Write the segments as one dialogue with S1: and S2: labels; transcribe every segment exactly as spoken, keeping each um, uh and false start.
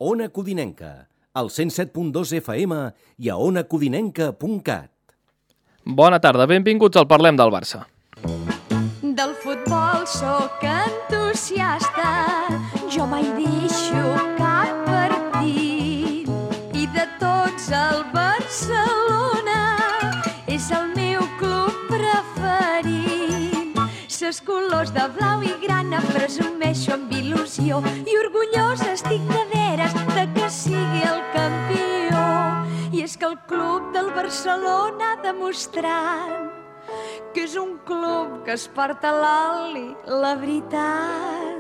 S1: Ona Codinenca, al cent set punt dos F M i a ona codinenca punt cat.
S2: Bona tarda, benvinguts al Parlem del Barça.
S3: Del futbol sóc entusiasta, jo mai deixo cap partit. I de tots el Barcelona és el meu club preferit. Ses colors de blau i grana presumeixo amb il·lusió i orgullosa estic de veres de que sigui el campió. I és que el club del Barcelona ha demostrat que és un club que es porta l'oli, la veritat.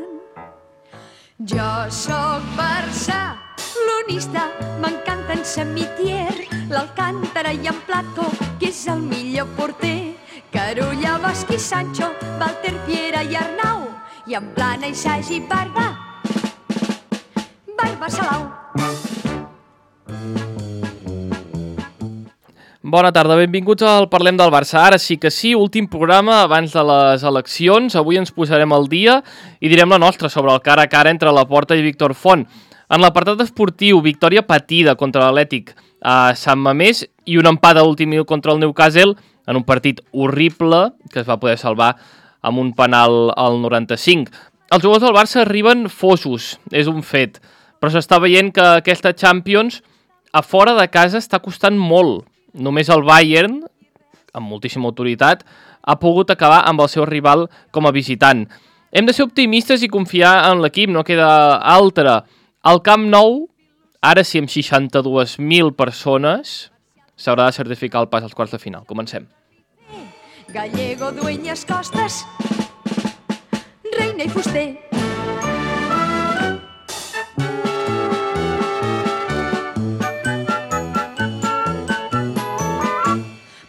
S3: Jo sóc barcelonista, m'encanta en Samitier, l'Alcántara i en Plató, que és el millor porter. Carulla, Bosch i Sancho, Walter, Piera i Arnau, i en Plana i Sagi i Barba, Barba Salau.
S2: Bona tarda, benvinguts al Parlem del Barça. Ara sí que sí, últim programa abans de les eleccions. Avui ens posarem al dia i direm la nostra sobre el cara a cara entre Laporta i Víctor Font. En l'apartat esportiu, victòria patida contra l'Atlètic a Sant Mamés i un empat a l'últim minut contra el Newcastle en un partit horrible que es va poder salvar amb un penal al noranta-cinc. Els jugadors del Barça arriben fosos, és un fet, però s'està veient que aquesta Champions a fora de casa està costant molt. Només el Bayern, amb moltíssima autoritat, ha pogut acabar amb el seu rival com a visitant. Hem de ser optimistes i confiar en l'equip, no queda altra. Al Camp Nou, ara sí amb seixanta-dues mil persones, s'haurà de certificar el pas als quarts de final. Comencem.
S3: Gallego, Dueñas, Costas, Reina i Fuster.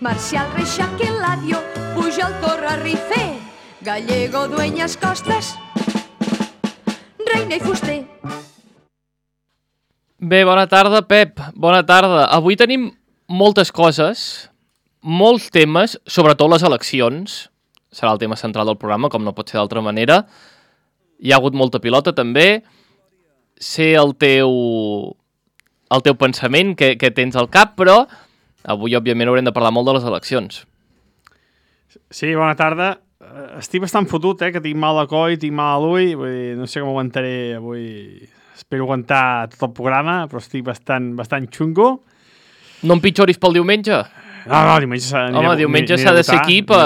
S3: Marcial, Reixac, Eladio, Pujol, Torra, Rifé, Gallego, Dueñas, Costas, Reina i Fuster.
S2: Bé, bona tarda, Pep. Bona tarda. Avui tenim moltes coses, molts temes, sobretot les eleccions. Serà el tema central del programa, com no pot ser d'altra manera. Hi ha hagut molta pilota, també. Sé el teu, el teu pensament que, que tens al cap, però avui, òbviament, haurem de parlar molt de les eleccions.
S4: Sí, bona tarda. Estic bastant fotut, eh, que tinc mal de coll, tinc mal a l'ull, vull dir, no sé com aguantaré avui. Espero aguantar tot el programa, però estic bastant, bastant xungo.
S2: No empitjoris pel diumenge?
S4: No, no, diumenge s'ha de...
S2: Home, diumenge s'ha de ser aquí per...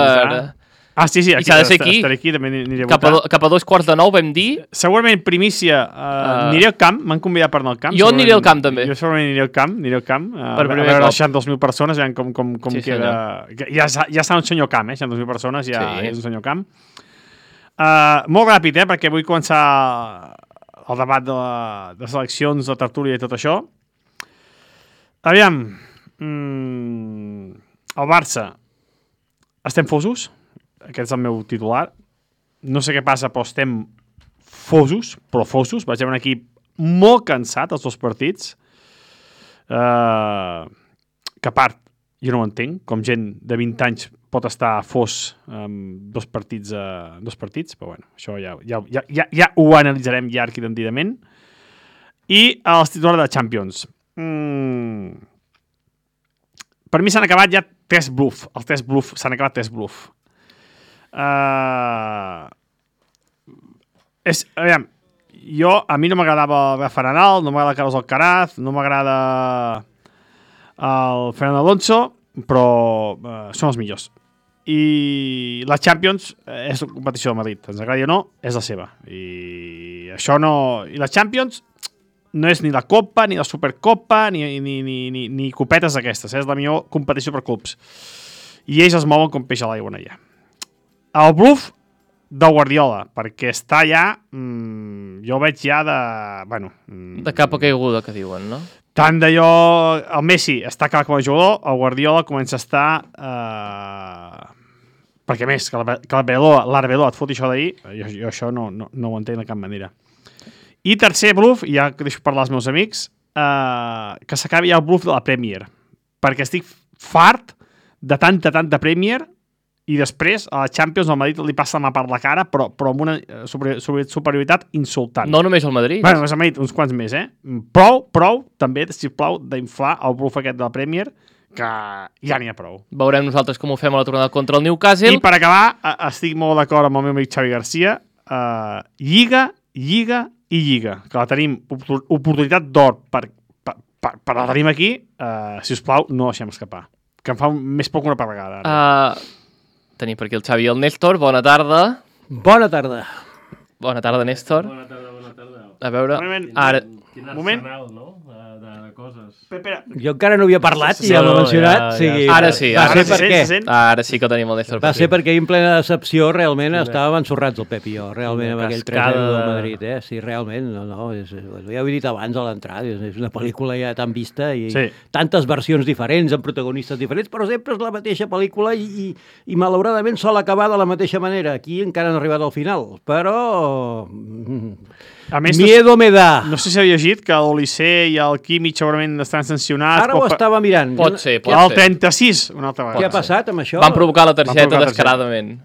S4: Ah, sí, sí, aquí,
S2: I s'ha de ser aquí.
S4: Estaré aquí, també aniré a
S2: cap
S4: votar.
S2: A, cap a dos quarts de nou vam dir...
S4: Segurament primícia, uh, uh, aniré al camp, m'han convidat per anar al camp.
S2: Jo aniré al camp, també.
S4: Jo segurament aniré al camp, aniré al camp, uh,
S2: per
S4: a veure les seixanta-dos mil persones, veiem com, com, com
S2: sí,
S4: queda... Ja, ja està un senyor camp, eh, seixanta-dos mil persones, ja sí. És un senyor camp. Uh, molt ràpid, eh, perquè vull començar el debat de, la, de les eleccions, de tertúlia i tot això. Aviam, mm, el Barça, estem fosos? Aquest és el meu titular. No sé què passa, però estem fosos, però fosos. Vaig veure un equip molt cansat, els dos partits. Uh, que a part, jo no ho entenc, com gent de vint anys pot estar fos amb dos partits, uh, dos partits, però bueno, això ja, ja, ja, ja, ja ho analitzarem llarg i tendidament. I els titulars de Champions. Mm. Per mi s'han acabat ja tres bluff. Els tres bluff, s'han acabat tres bluff. Uh, és, aviam, jo, a mi no m'agradava el Rafa Nadal, no m'agrada Carlos Alcaraz, no m'agrada el Fernando Alonso, però uh, són els millors. I la Champions és la competició de Madrid, ens agradi o no, és la seva. I això no... I la Champions no és ni la Copa, ni la Supercopa, ni, ni, ni, ni, ni copetes d'aquestes, eh? És la millor competició per clubs. I ells es mouen com peix a l'aigua allà. El bluff del Guardiola, perquè està ja... Mmm, jo veig ja de... Bueno, mm,
S2: de capa caiguda, que diuen, no?
S4: Tant d'allò... El Messi està acabat com a jugador, el Guardiola comença a estar... Eh, perquè més, que l'Arbeloa et foti això d'ahir, jo, jo això no, no, no ho entenc de cap manera. I tercer bluff, ja que deixo parlar als meus amics, eh, que s'acabi ja el bluff de la Premier, perquè estic fart de tanta, tanta Premier i després a la Champions el Madrid li passa la mà per la cara, però, però amb una super, super, superioritat insultant.
S2: No només el Madrid.
S4: Bueno, el Madrid, uns quants més, eh? Prou, prou, també, sisplau, d'inflar el bluff aquest de la Premier, que ja n'hi ha prou.
S2: Veurem nosaltres com ho fem a la tornada contra el Newcastle.
S4: I per acabar, estic molt d'acord amb el meu amic Xavi Garcia, uh, Lliga, Lliga i Lliga, que la tenim oportunitat d'or per, per, per, per la tenim aquí, uh, si us plau, no deixem escapar, que em fa més poc una vegada.
S2: Uh, tenim per aquí el Xavi i el Néstor, bona tarda.
S1: Bona tarda.
S2: Bona tarda, Néstor.
S5: Bona tarda, bona tarda.
S2: A veure,
S4: Moment,
S2: ara...
S5: Quin
S4: Moment.
S5: arsenal, no?, de, de, de coses.
S4: Espera,
S1: Jo encara no havia parlat
S5: Sí,
S1: i ja l'he
S5: no,
S1: mencionat.
S5: ja, ja.
S1: sigui,
S2: Ara sí,
S1: va
S2: ara
S1: ser
S2: sí.
S1: per què?
S4: Se sent?
S2: Ara sí que tenim el Néstor.
S1: Va
S2: per
S1: ser
S2: aquí.
S1: perquè en plena decepció realment estàvem ensorrats el Pep i jo, realment,
S5: Una
S1: amb aquell tres
S5: cascada
S1: zero del
S5: de-
S1: Madrid, eh? Sí, realment, no, no, és, ja ho he dit abans a l'entrada, és, és una pel·lícula ja tan vista i
S4: Sí.
S1: tantes versions diferents, amb protagonistes diferents, però sempre és la mateixa pel·lícula i, i, i malauradament sol acabar de la mateixa manera. Aquí encara no ha arribat al final, però...
S4: a més, no,
S1: Miedo me da.
S4: no sé si heu llegit que l'Olisser i el Químic segurament estan sancionats.
S1: Ara ho
S4: pel-
S1: estava mirant.
S2: Pot ser, pot
S4: El
S2: ser.
S4: trenta-sis, una altra vegada.
S1: Què ha passat amb això?
S2: Van provocar la
S4: Van
S2: targeta
S4: provocar la
S2: descaradament.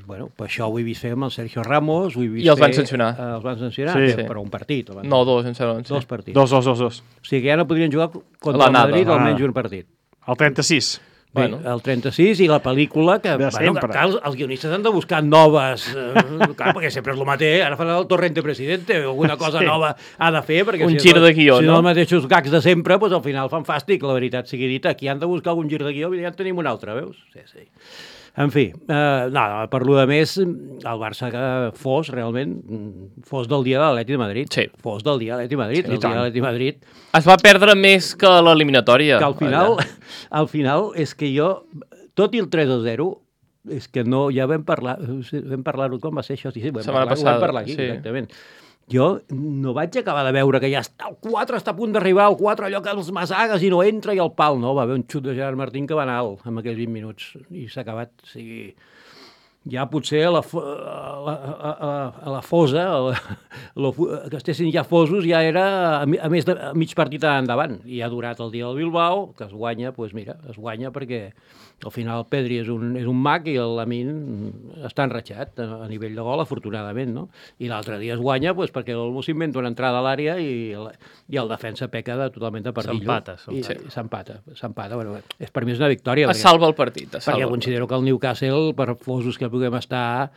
S1: Bueno, per això ho he vist fer amb el Sergio Ramos, ho he vist
S2: I els van
S1: fer-
S2: sancionar.
S1: Eh, els van sancionar,
S4: Sí.
S1: sí. però un partit. el van-
S2: No, dos, em sembla.
S1: Dos
S2: Sí.
S1: partits.
S4: Dos, dos, dos, dos.
S1: O sigui que ja no podrien jugar contra
S2: La
S1: el
S2: nada.
S1: Madrid
S4: Ah.
S1: almenys un partit.
S4: El trenta-sis.
S1: Bé,
S2: Bueno.
S1: el trenta-sis i la pel·lícula que,
S4: De
S1: bueno,
S4: sempre.
S1: que, que els, els guionistes han de buscar noves, eh, clar, perquè sempre és el mateix, ara faran el Torrente Presidente, o alguna cosa
S4: Sí.
S1: nova ha de fer, perquè
S2: Un
S1: si
S2: gir
S1: no,
S2: de guió,
S1: si no
S2: no?
S1: els mateixos gags de sempre, doncs al final fan fàstic, la veritat sigui dita, aquí han de buscar algun gir de guió, i ja en tenim un altre, veus? Sí, sí. En fi, eh, no, per lo de més, el Barça que fos, realment, fos del dia de l'Atleti de Madrid.
S2: Sí.
S1: Fos del dia de l'Atleti de Madrid.
S4: Sí,
S1: el
S4: i tant.
S1: dia de l'Atleti de Madrid,
S2: Es va perdre més que l'eliminatòria.
S1: que al final,
S2: allà.
S1: al final és que jo, tot i el tres a zero, és que no, ja vam parlar, vam parlar-ho, com va ser això? Sí, sí, vam
S2: Setmana
S1: parlar, ho
S2: passada,
S1: vam parlar aquí,
S2: sí.
S1: exactament. Jo no vaig acabar de veure que ja està, el quatre està a punt d'arribar, el quatre allò que els masagues i no entra i el pal, no, va haver un xut de Gerard Martín que va anar alt en aquells vint minuts i s'ha acabat, o sigui, ja potser a la, fo- a la, a, a, a la fosa, a la, a la, que estessin ja fosos, ja era a, mi- a més de a mig partit endavant. I ha durat el dia del Bilbao, que es guanya, doncs mira, es guanya perquè al final el Pedri és un, és un mag i el Lamin està enratxat a, a nivell de gol, afortunadament, no? I l'altre dia es guanya doncs, perquè el s'inventa una entrada a l'àrea i, el, i el defensa peca de, totalment de perdillo.
S5: S'empata,
S1: I-
S5: s'empata.
S1: i S'empata, s'empata. Bueno, és, per mi és una victòria.
S2: Es
S1: perquè-
S2: salva el partit, es
S1: perquè
S2: salva.
S1: considero que el Newcastle, per fosos que puguem estar,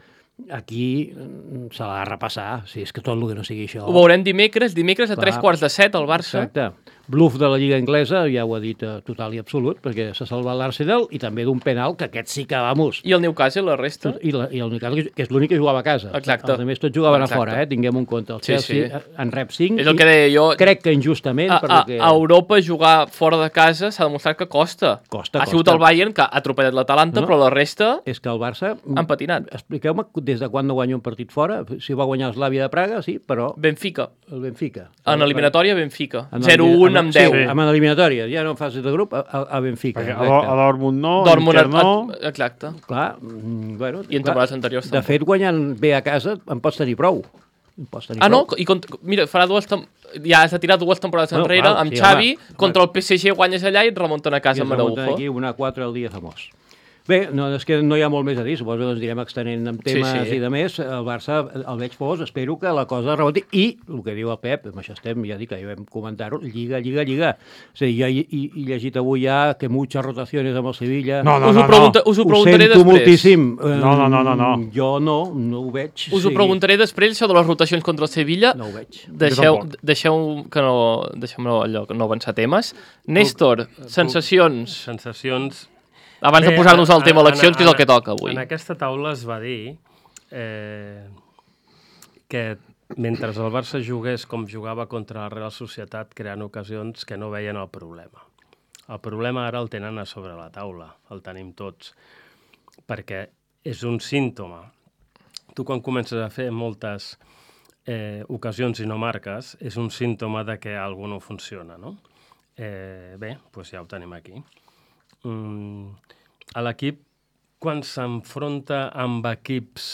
S1: aquí mm, se l'ha de repassar. Si és que tot el que no sigui això...
S2: Ho veurem dimecres, dimecres a
S1: Clar.
S2: tres quarts de set al Barça.
S1: Exacte. Bluff de la Lliga Anglesa, ja ho ha dit eh, total i absolut, perquè s'ha salvat l'Arsenal, i també d'un penal, que aquest sí que, vamos...
S2: I el Newcastle, la resta.
S1: I, la, i el Newcastle, que és l'únic que jugava a casa.
S2: Exacte.
S1: Els altres tots jugaven
S2: Exacte.
S1: a fora, eh? Tinguem un compte. El
S2: Sí,
S1: Chelsea
S2: sí.
S1: en rep cinc.
S2: És el que deia jo.
S1: Crec que injustament,
S2: A,
S1: per
S2: a,
S1: lo que...
S2: a Europa jugar fora de casa s'ha demostrat que costa.
S1: Costa,
S2: ha sigut
S1: costa.
S2: el Bayern que ha atropellat l'Atalanta,
S1: No.
S2: però la resta
S1: És que el Barça...
S2: han patinat.
S1: Expliqueu-me des de quan no guanya un partit fora. Si va guanyar l'Slàvia de Praga, sí, però
S2: Benfica.
S1: el Benfica.
S2: En eliminatòria, Benfica.
S1: En
S2: zero
S1: elimina-
S2: un amb
S1: sí,
S2: deu.
S1: amb eliminatòria, ja no en fase de grup, a, a a Benfica.
S4: Perquè a,
S1: exacte.
S4: Dor- a Dortmund no,
S2: Dortmund,
S4: Inter no...
S2: et- exacte.
S1: Clar, mm, bueno...
S2: I en
S1: clar,
S2: temporades anteriors
S1: De
S2: tampoc.
S1: fet, guanyant bé a casa en pots tenir prou. En pots tenir
S2: Ah, no?
S1: prou.
S2: I cont... Mira, farà dues... Tem... Ja has de tirar dues temporades
S1: Bueno,
S2: enrere,
S1: clar,
S2: amb
S1: sí,
S2: Xavi,
S1: home.
S2: contra el P S G guanyes allà i et remunten a
S1: I
S2: casa
S1: ens
S2: amb
S1: remunten
S2: Araujo.
S1: aquí una quatre al dia famós. Bé, no, és que no hi ha molt més a dir, suposo que ens direm extenent amb
S2: Sí,
S1: temes
S2: sí.
S1: i de més. El Barça el veig fos, espero que la cosa reboti. I, el que diu el Pep, amb això estem, ja dic que ja vam comentar-ho, lliga, lliga, lliga. És a dir, ja he, he, he llegit avui ja que muchas rotaciones amb el Sevilla.
S4: No, no,
S2: us,
S4: no,
S2: ho pregunta, us ho
S1: Ho
S2: preguntaré
S1: sento
S2: després.
S1: moltíssim. Eh,
S4: No, no, no, no, no.
S1: Jo no, no ho veig.
S2: Us ho
S1: Sí.
S2: preguntaré després, això de les rotacions contra el Sevilla.
S1: No ho veig.
S2: Deixeu,
S4: tampoc.
S2: deixeu que no, deixem allò, que no avançar temes. Néstor, sensacions.
S5: Sensacions...
S2: Abans
S5: Bé,
S2: de posar-nos al
S5: en-
S2: tema
S5: en-
S2: eleccions, que és el
S5: en-
S2: que toca avui.
S5: En aquesta taula es va dir eh, que mentre el Barça jugués com jugava contra la Real Societat, creant ocasions que no veien el problema. El problema ara el tenen a sobre la taula, el tenim tots, perquè és un símptoma. Tu quan comences a fer moltes eh, ocasions i no marques, és un símptoma de que alguna no funciona, no? Eh, bé, doncs ja ho tenim aquí. Mm, a l'equip, quan s'enfronta amb equips,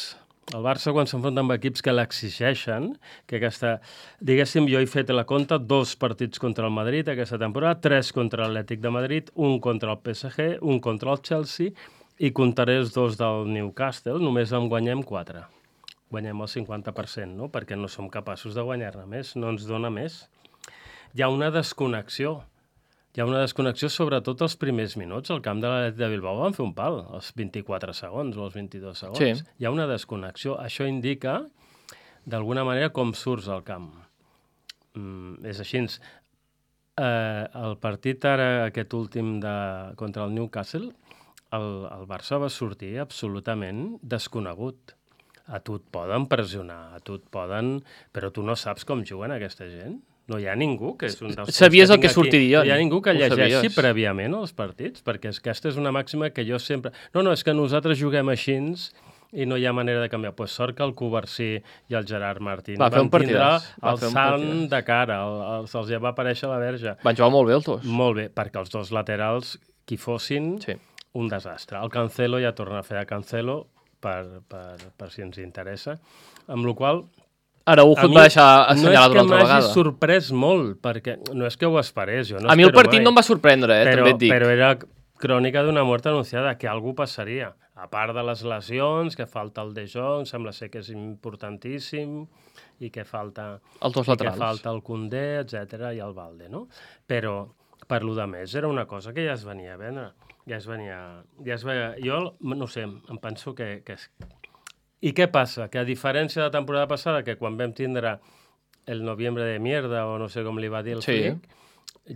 S5: el Barça quan s'enfronta amb equips que l'exigeixen, que aquesta, diguéssim, jo he fet la compta, dos partits contra el Madrid aquesta temporada, tres contra l'Atlètic de Madrid, un contra el P S G, un contra el Chelsea i comptaré els dos del Newcastle, només en guanyem quatre. Guanyem el cinquanta per cent, no? Perquè no som capaços de guanyar-ne més, no ens dona més. Hi ha una desconnexió. Hi ha una desconnexió sobretot els primers minuts. Al camp de l'Atlètic de Bilbao van fer un pal, els vint-i-quatre segons o els vint-i-dos segons.
S2: Sí.
S5: Hi ha una desconnexió. Això indica, d'alguna manera, com surts al camp. Mm, és així. Eh, el partit ara, aquest últim de, contra el Newcastle, el, el Barça va sortir absolutament desconegut. A tu et poden pressionar, a tu et poden... Però tu no saps com juguen aquesta gent. No hi ha ningú que és un dels...
S2: Sabies
S5: que
S2: el que
S5: tinc aquí.
S2: sortiria.
S5: No hi ha ningú que
S2: Ho
S5: llegeixi
S2: sabies.
S5: prèviament els partits, perquè és que aquesta és una màxima que jo sempre... No, no, és que nosaltres juguem així i no hi ha manera de canviar. Pues sort que el Covarsí i el Gerard Martín
S2: Va fer
S5: van
S2: un partidàs.
S5: tindre
S2: Va
S5: el
S2: fer un
S5: sant
S2: partidàs.
S5: de cara, el, el, se'ls ja va aparèixer la verge.
S2: Van jugar molt bé els dos.
S5: Molt bé, perquè els dos laterals, qui fossin,
S2: Sí.
S5: un desastre. El Cancelo ja torna a fer de Cancelo, per, per, per si ens interessa. Amb la qual
S2: Araujo et va deixar assenyalat una altra
S5: no és que m'hagi
S2: vegada.
S5: sorprès molt, perquè no és que ho esperés. Jo no
S2: A mi el
S5: espero
S2: partit
S5: mai.
S2: no em va sorprendre, eh,
S5: però,
S2: també et dic.
S5: Però era crònica d'una mort anunciada, que algú passaria. A part de les lesions, que falta el De Jong, sembla ser que és importantíssim, i que falta,
S2: Els dos
S5: i que
S2: laterals.
S5: falta el Koundé, etcètera, i el Valde, no? Però, per lo de més, era una cosa que ja es venia a vendre. Ja es venia... Ja es veia... Jo, no sé, em penso que... que és... I què passa? Que a diferència de la temporada passada, que quan vam tindre el noviembre de mierda, o no sé com li va dir el
S2: Sí.
S5: Flick,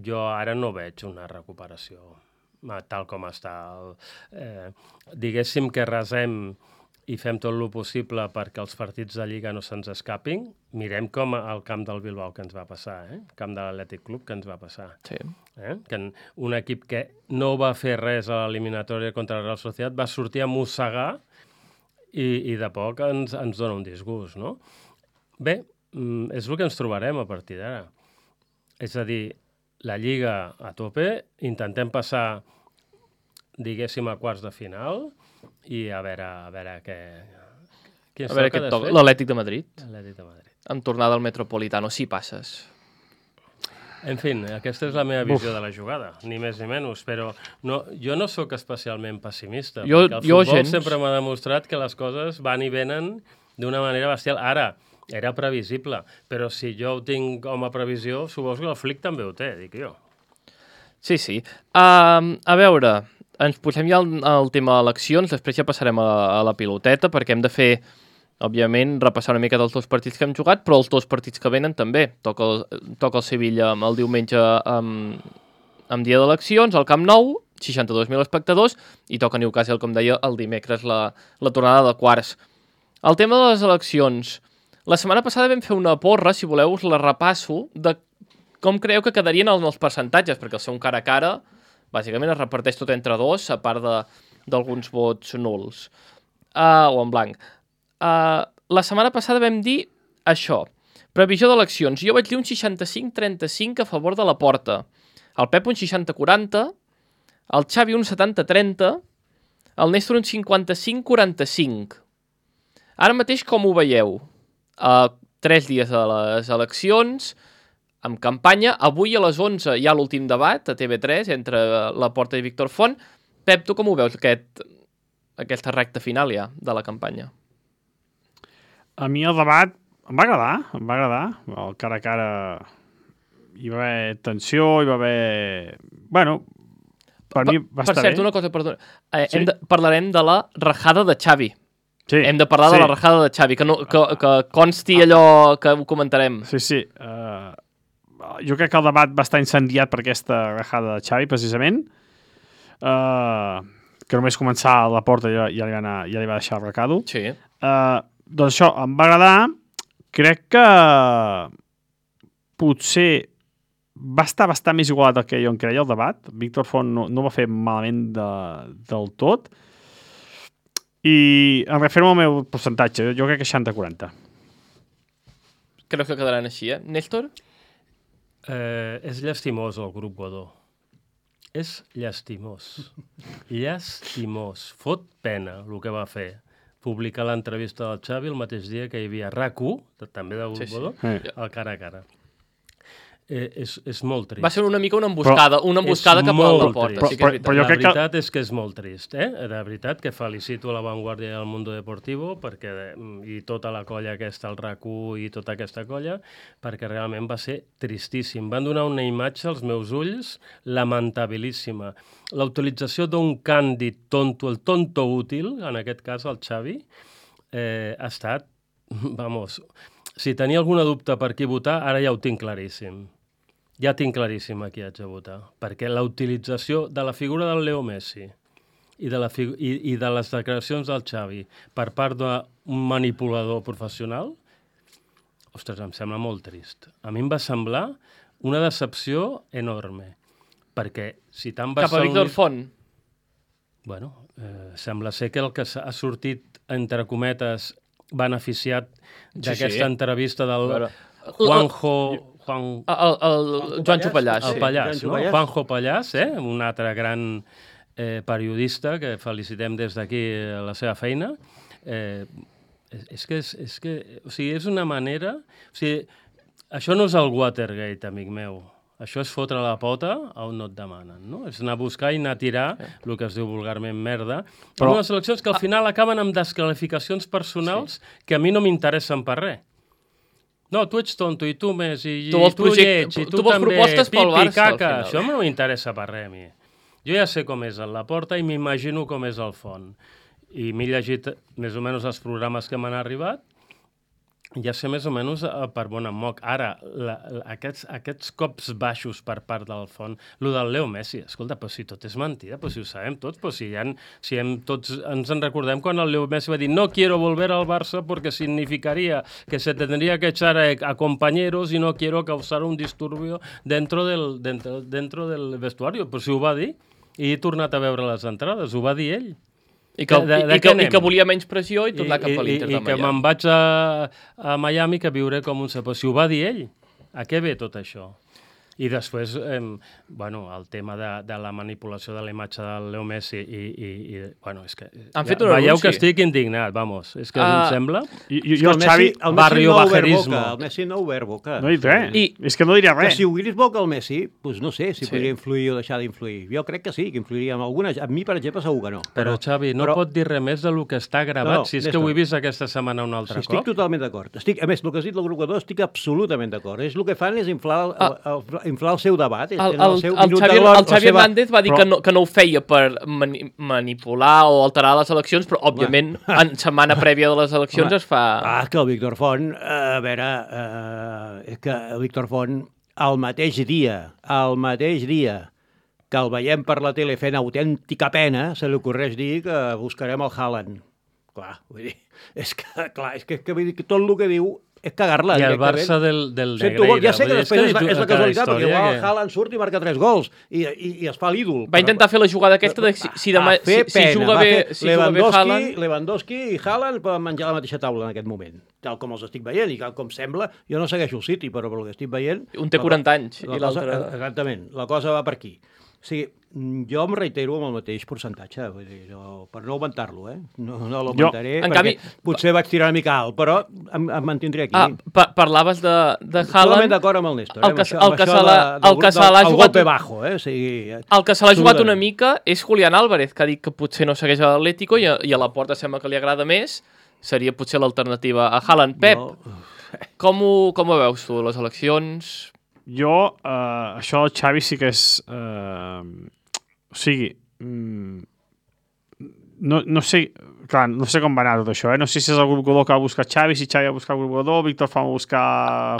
S5: jo ara no veig una recuperació tal com està. El, eh, diguéssim que resem i fem tot el possible perquè els partits de Lliga no se'ns escapin. Mirem com al camp del Bilbao que ens va passar, eh? El camp de l'Atlètic Club que ens va passar.
S2: Sí.
S5: Eh? Que un equip que no va fer res a l'eliminatòria contra el Real Societat va sortir a mossegar i, i de poc ens, ens dona un disgust, no? Bé, és el que ens trobarem a partir d'ara. És a dir, la Lliga a tope, intentem passar, diguéssim, a quarts de final i a veure, a veure què... Qui ens
S2: A veure
S5: toca
S2: què et toca.
S5: després?
S2: L'Atlètic de Madrid.
S5: L'Atlètic de Madrid.
S2: En tornada al Metropolitano, si passes.
S5: En fi, aquesta és la meva visió Uf. de la jugada, ni més ni menys, però no, jo no sóc especialment pessimista,
S2: Jo-
S5: perquè el
S2: jo
S5: futbol
S2: gens.
S5: sempre m'ha demostrat que les coses van i venen d'una manera bestial. Ara, era previsible, però si jo ho tinc com a previsió, suposo que el Flick també ho té, dic jo.
S2: Sí, sí. Uh, a veure, ens posem ja al, al tema eleccions, després ja passarem a, a la piloteta, perquè hem de fer, òbviament, repassar una mica dels dos partits que hem jugat, però els dos partits que venen també. Toca el, toca el Sevilla el diumenge amb, amb dia d'eleccions, al Camp Nou, seixanta-dos mil espectadors, i toca Newcastle, com deia, el dimecres, la, la tornada de quarts. El tema de les eleccions. La setmana passada vam fer una porra, si voleu us la repasso, de com creieu que quedarien els, els percentatges, perquè el ser un cara a cara, bàsicament es reparteix tot entre dos, a part de- d'alguns vots nuls, uh, o en blanc. Uh, la setmana passada vam dir això, previsió d'eleccions. Jo vaig dir un seixanta-cinc trenta-cinc a favor de la Porta, el Pep un seixanta quaranta, el Xavi un setanta trenta, el Néstor un cinquanta-cinc quaranta-cinc. Ara mateix com ho veieu? Uh, tres dies de les eleccions, amb campanya. Avui a les onze hi ha l'últim debat a T V tres entre la Porta i Víctor Font. Pep, tu com ho veus, aquest, aquesta recta final ja de la campanya?
S4: A mi el debat em va agradar, em va agradar. El cara a cara hi va haver tensió, hi va haver... Bueno, per, mi va
S2: per
S4: estar
S2: cert,
S4: bé.
S2: una cosa, perdona. Eh,
S4: Sí?
S2: hem de, parlarem de la rajada de Xavi.
S4: Sí,
S2: Hem de parlar
S4: sí.
S2: de la rajada de Xavi, que, no, que, que consti allò que ho comentarem.
S4: Sí, sí. Uh, jo crec que el debat va estar incendiat per aquesta rajada de Xavi, precisament. Uh, que només començar a la Porta ja, ja, li, va anar, ja li va deixar el recado.
S2: Sí.
S4: Uh, doncs això, em va agradar. Crec que potser va estar bastant més igualat del que jo em creia el debat. Víctor Font no, no va fer malament de, del tot. I em refermo al meu percentatge. Jo crec que seixanta quaranta.
S2: Crec que quedaran així, eh? Néstor?
S5: Eh, és llastimós el grup Godó. És llastimós. Llastimós. Fot pena el que va fer. Publicar l'entrevista del Xavi el mateix dia que hi havia RAC u, també del grup
S2: Sí, sí.
S5: Godó,
S4: Sí.
S5: al cara a cara. eh, és, és molt trist.
S2: Va ser una mica una emboscada, una emboscada cap a la porta.
S5: Però,
S2: sí que és
S4: però, però jo
S5: la
S4: crec que...
S5: veritat és que és molt trist, eh? De veritat que felicito a La Vanguardia del Mundo Deportivo perquè, i tota la colla aquesta, el R A C u i tota aquesta colla, perquè realment va ser tristíssim. Van donar una imatge als meus ulls lamentabilíssima. La utilització d'un càndid tonto, el tonto útil, en aquest cas el Xavi, eh, ha estat, vamos, si tenia alguna dubte per qui votar, ara ja ho tinc claríssim. Ja tinc claríssim a qui haig de votar, perquè la utilització de la figura del Leo Messi i de, la figu i, i de les declaracions del Xavi per part d'un manipulador professional, ostres, em sembla molt trist. A mi em va semblar una decepció enorme, perquè si tant va...
S2: Cap a Víctor Font.
S5: Bueno, eh, sembla ser que el que ha sortit, entre cometes, beneficiat d'aquesta
S2: sí, sí.
S5: entrevista del
S2: Veure.
S5: Juanjo... Juan...
S2: El, el, el Joan Xupallàs.
S5: El
S2: Sí.
S5: Pallàs, no?
S1: Pallàs.
S5: Juanjo Pallàs, eh? Un altre gran eh, periodista que felicitem des d'aquí la seva feina. Eh, és, és que, és, és que, o sigui, és una manera... O sigui, això no és el Watergate, amic meu. Això és fotre la pota on no et demanen, no? És anar a buscar i anar a tirar el que es diu vulgarment merda. Però unes eleccions que al final acaben amb desqualificacions personals sí. que a mi no m'interessen per res. No, tu ets tonto, i tu més, i
S2: tu vols,
S5: tu
S2: project...
S5: lleig, i tu,
S2: tu vols
S5: també,
S2: propostes pel
S5: pipi,
S2: Barça,
S5: caca.
S2: al
S5: Això
S2: final.
S5: no m'interessa per res, a mi. Jo ja sé com és el Laporta i m'imagino com és el Font. I m'he llegit més o menys els programes que m'han arribat, ja sé més o menys per bon em moc. Ara, la, la, aquests, aquests cops baixos per part del Font, lo del Leo Messi, escolta, però si tot és mentida, però si ho sabem tots, però si, han, si hem, tots ens en recordem quan el Leo Messi va dir no quiero volver al Barça porque significaría que se tendría que echar a, a compañeros y no quiero causar un disturbio dentro del, dentro, dentro del vestuario. Però si ho va dir, i he tornat a veure les entrades, ho va dir ell.
S2: I que,
S5: De- de
S2: i,
S5: què
S2: que, I
S5: anem?
S2: que volia menys pressió i tornar
S5: I,
S2: cap a l'Inter
S5: i,
S2: de
S5: i que
S2: Miami.
S5: me'n vaig a, a Miami que viuré com un sapó. Si ho va dir ell, a què ve tot això? I després, eh, bueno, el tema de, de la manipulació de la imatge del Leo Messi i, i, i bueno, és que...
S2: Han fet un
S5: veieu
S2: anunci.
S5: que estic indignat, vamos. És que
S2: Ah.
S5: em sembla...
S4: I, i, jo,
S1: el
S4: Xavi,
S1: Messi, el Messi
S5: barrio
S1: no ha obert
S5: bajerismo.
S1: boca, el Messi no ha obert boca.
S4: no he dit res.
S2: I-
S4: És que no diria
S1: Que
S4: res.
S1: si obrís boca el Messi, doncs no sé si
S2: Sí.
S1: podria influir o deixar d'influir. Jo crec que sí, que influiria amb alguna... A mi, per exemple, segur que no.
S5: Però, Xavi, no
S1: però-
S5: pot dir res més del que està gravat,
S1: No, no,
S5: si és
S1: Néstor.
S5: que ho he vist aquesta setmana un altre
S1: Sí, estic
S5: cop.
S1: totalment d'acord. Estic, a més, el que has dit del grup estic absolutament d'acord. És el que fan és inflar el,
S2: Ah.
S1: el, el, inflar el seu debat.
S2: El,
S1: tenen
S2: el,
S1: seu
S2: el,
S1: minut
S2: Xavi,
S1: de glòria,
S2: el Xavi
S1: la seva-
S2: Hernández va dir
S4: però-
S2: que, no, que no ho feia per mani manipular o alterar les eleccions, però, òbviament, en setmana prèvia de les eleccions
S1: Home,
S2: es fa...
S1: Ah, que el Víctor Font, eh, a veure, eh, és que el Víctor Font, el mateix dia, el mateix dia que el veiem per la tele fent autèntica pena, se li ocorreix dir que buscarem el Haaland. Clar, vull dir, és que, clar, és que, és que, vull dir, que tot el que diu és cagar-la.
S5: I el
S1: directament.
S5: Barça del, del
S1: Sento,
S5: Negreira.
S1: ja sé que
S5: Vull dir,
S1: després és, la,
S5: que
S1: és la
S5: cada
S1: casualitat, perquè
S5: història
S1: igual
S5: que-
S1: el Haaland surt i marca tres gols i, i, i es fa l'ídol.
S2: Va intentar fer la jugada aquesta de si, si, demà,
S1: Va fer
S2: si, si
S1: pena,
S2: juga
S1: va
S2: bé,
S1: fer
S2: si juga bé
S1: Lewandowski,
S2: Haaland...
S1: Lewandowski i Haaland poden menjar a la mateixa taula en aquest moment, tal com els estic veient i tal com sembla. Jo no segueixo el City, però pel que estic veient...
S2: Un té
S1: la co-
S2: quaranta anys
S1: la
S2: i l'altre...
S1: cosa- Exactament, la cosa va per aquí. O sigui, jo em reitero amb el mateix percentatge, vull dir, no, per no augmentar-lo, eh? No, no l'augmentaré,
S2: en
S1: perquè
S2: canvi-
S1: potser vaig tirar una mica alt, però em, em mantindré aquí.
S2: Ah, pa parlaves de, de
S1: Totalment
S2: Haaland...
S1: d'acord amb el Néstor, eh?
S2: el
S1: amb
S2: que-
S1: això,
S2: el
S1: amb
S2: que
S1: això
S2: se l'ha-
S1: de- del
S2: el que
S1: grup
S2: se l'ha
S1: del- el
S2: jugat-
S1: golpe bajo, eh? O sigui,
S2: El que se l'ha jugat una
S1: absolutament.
S2: mica és Julián Álvarez, que ha dit que potser no segueix a l'Atlético i, a- i a la Porta sembla que li agrada més. Seria potser l'alternativa a Haaland. Pep,
S1: No.
S2: com, ho, com ho veus tu, les eleccions?
S4: Jo, eh, això del Xavi sí que és... Eh, o sigui, mm, no, no sé... Clar, no sé com va anar tot això, eh? No sé si és el grup Godó que va buscar Xavi, si Xavi va buscar el grup Godó, Víctor Font va buscar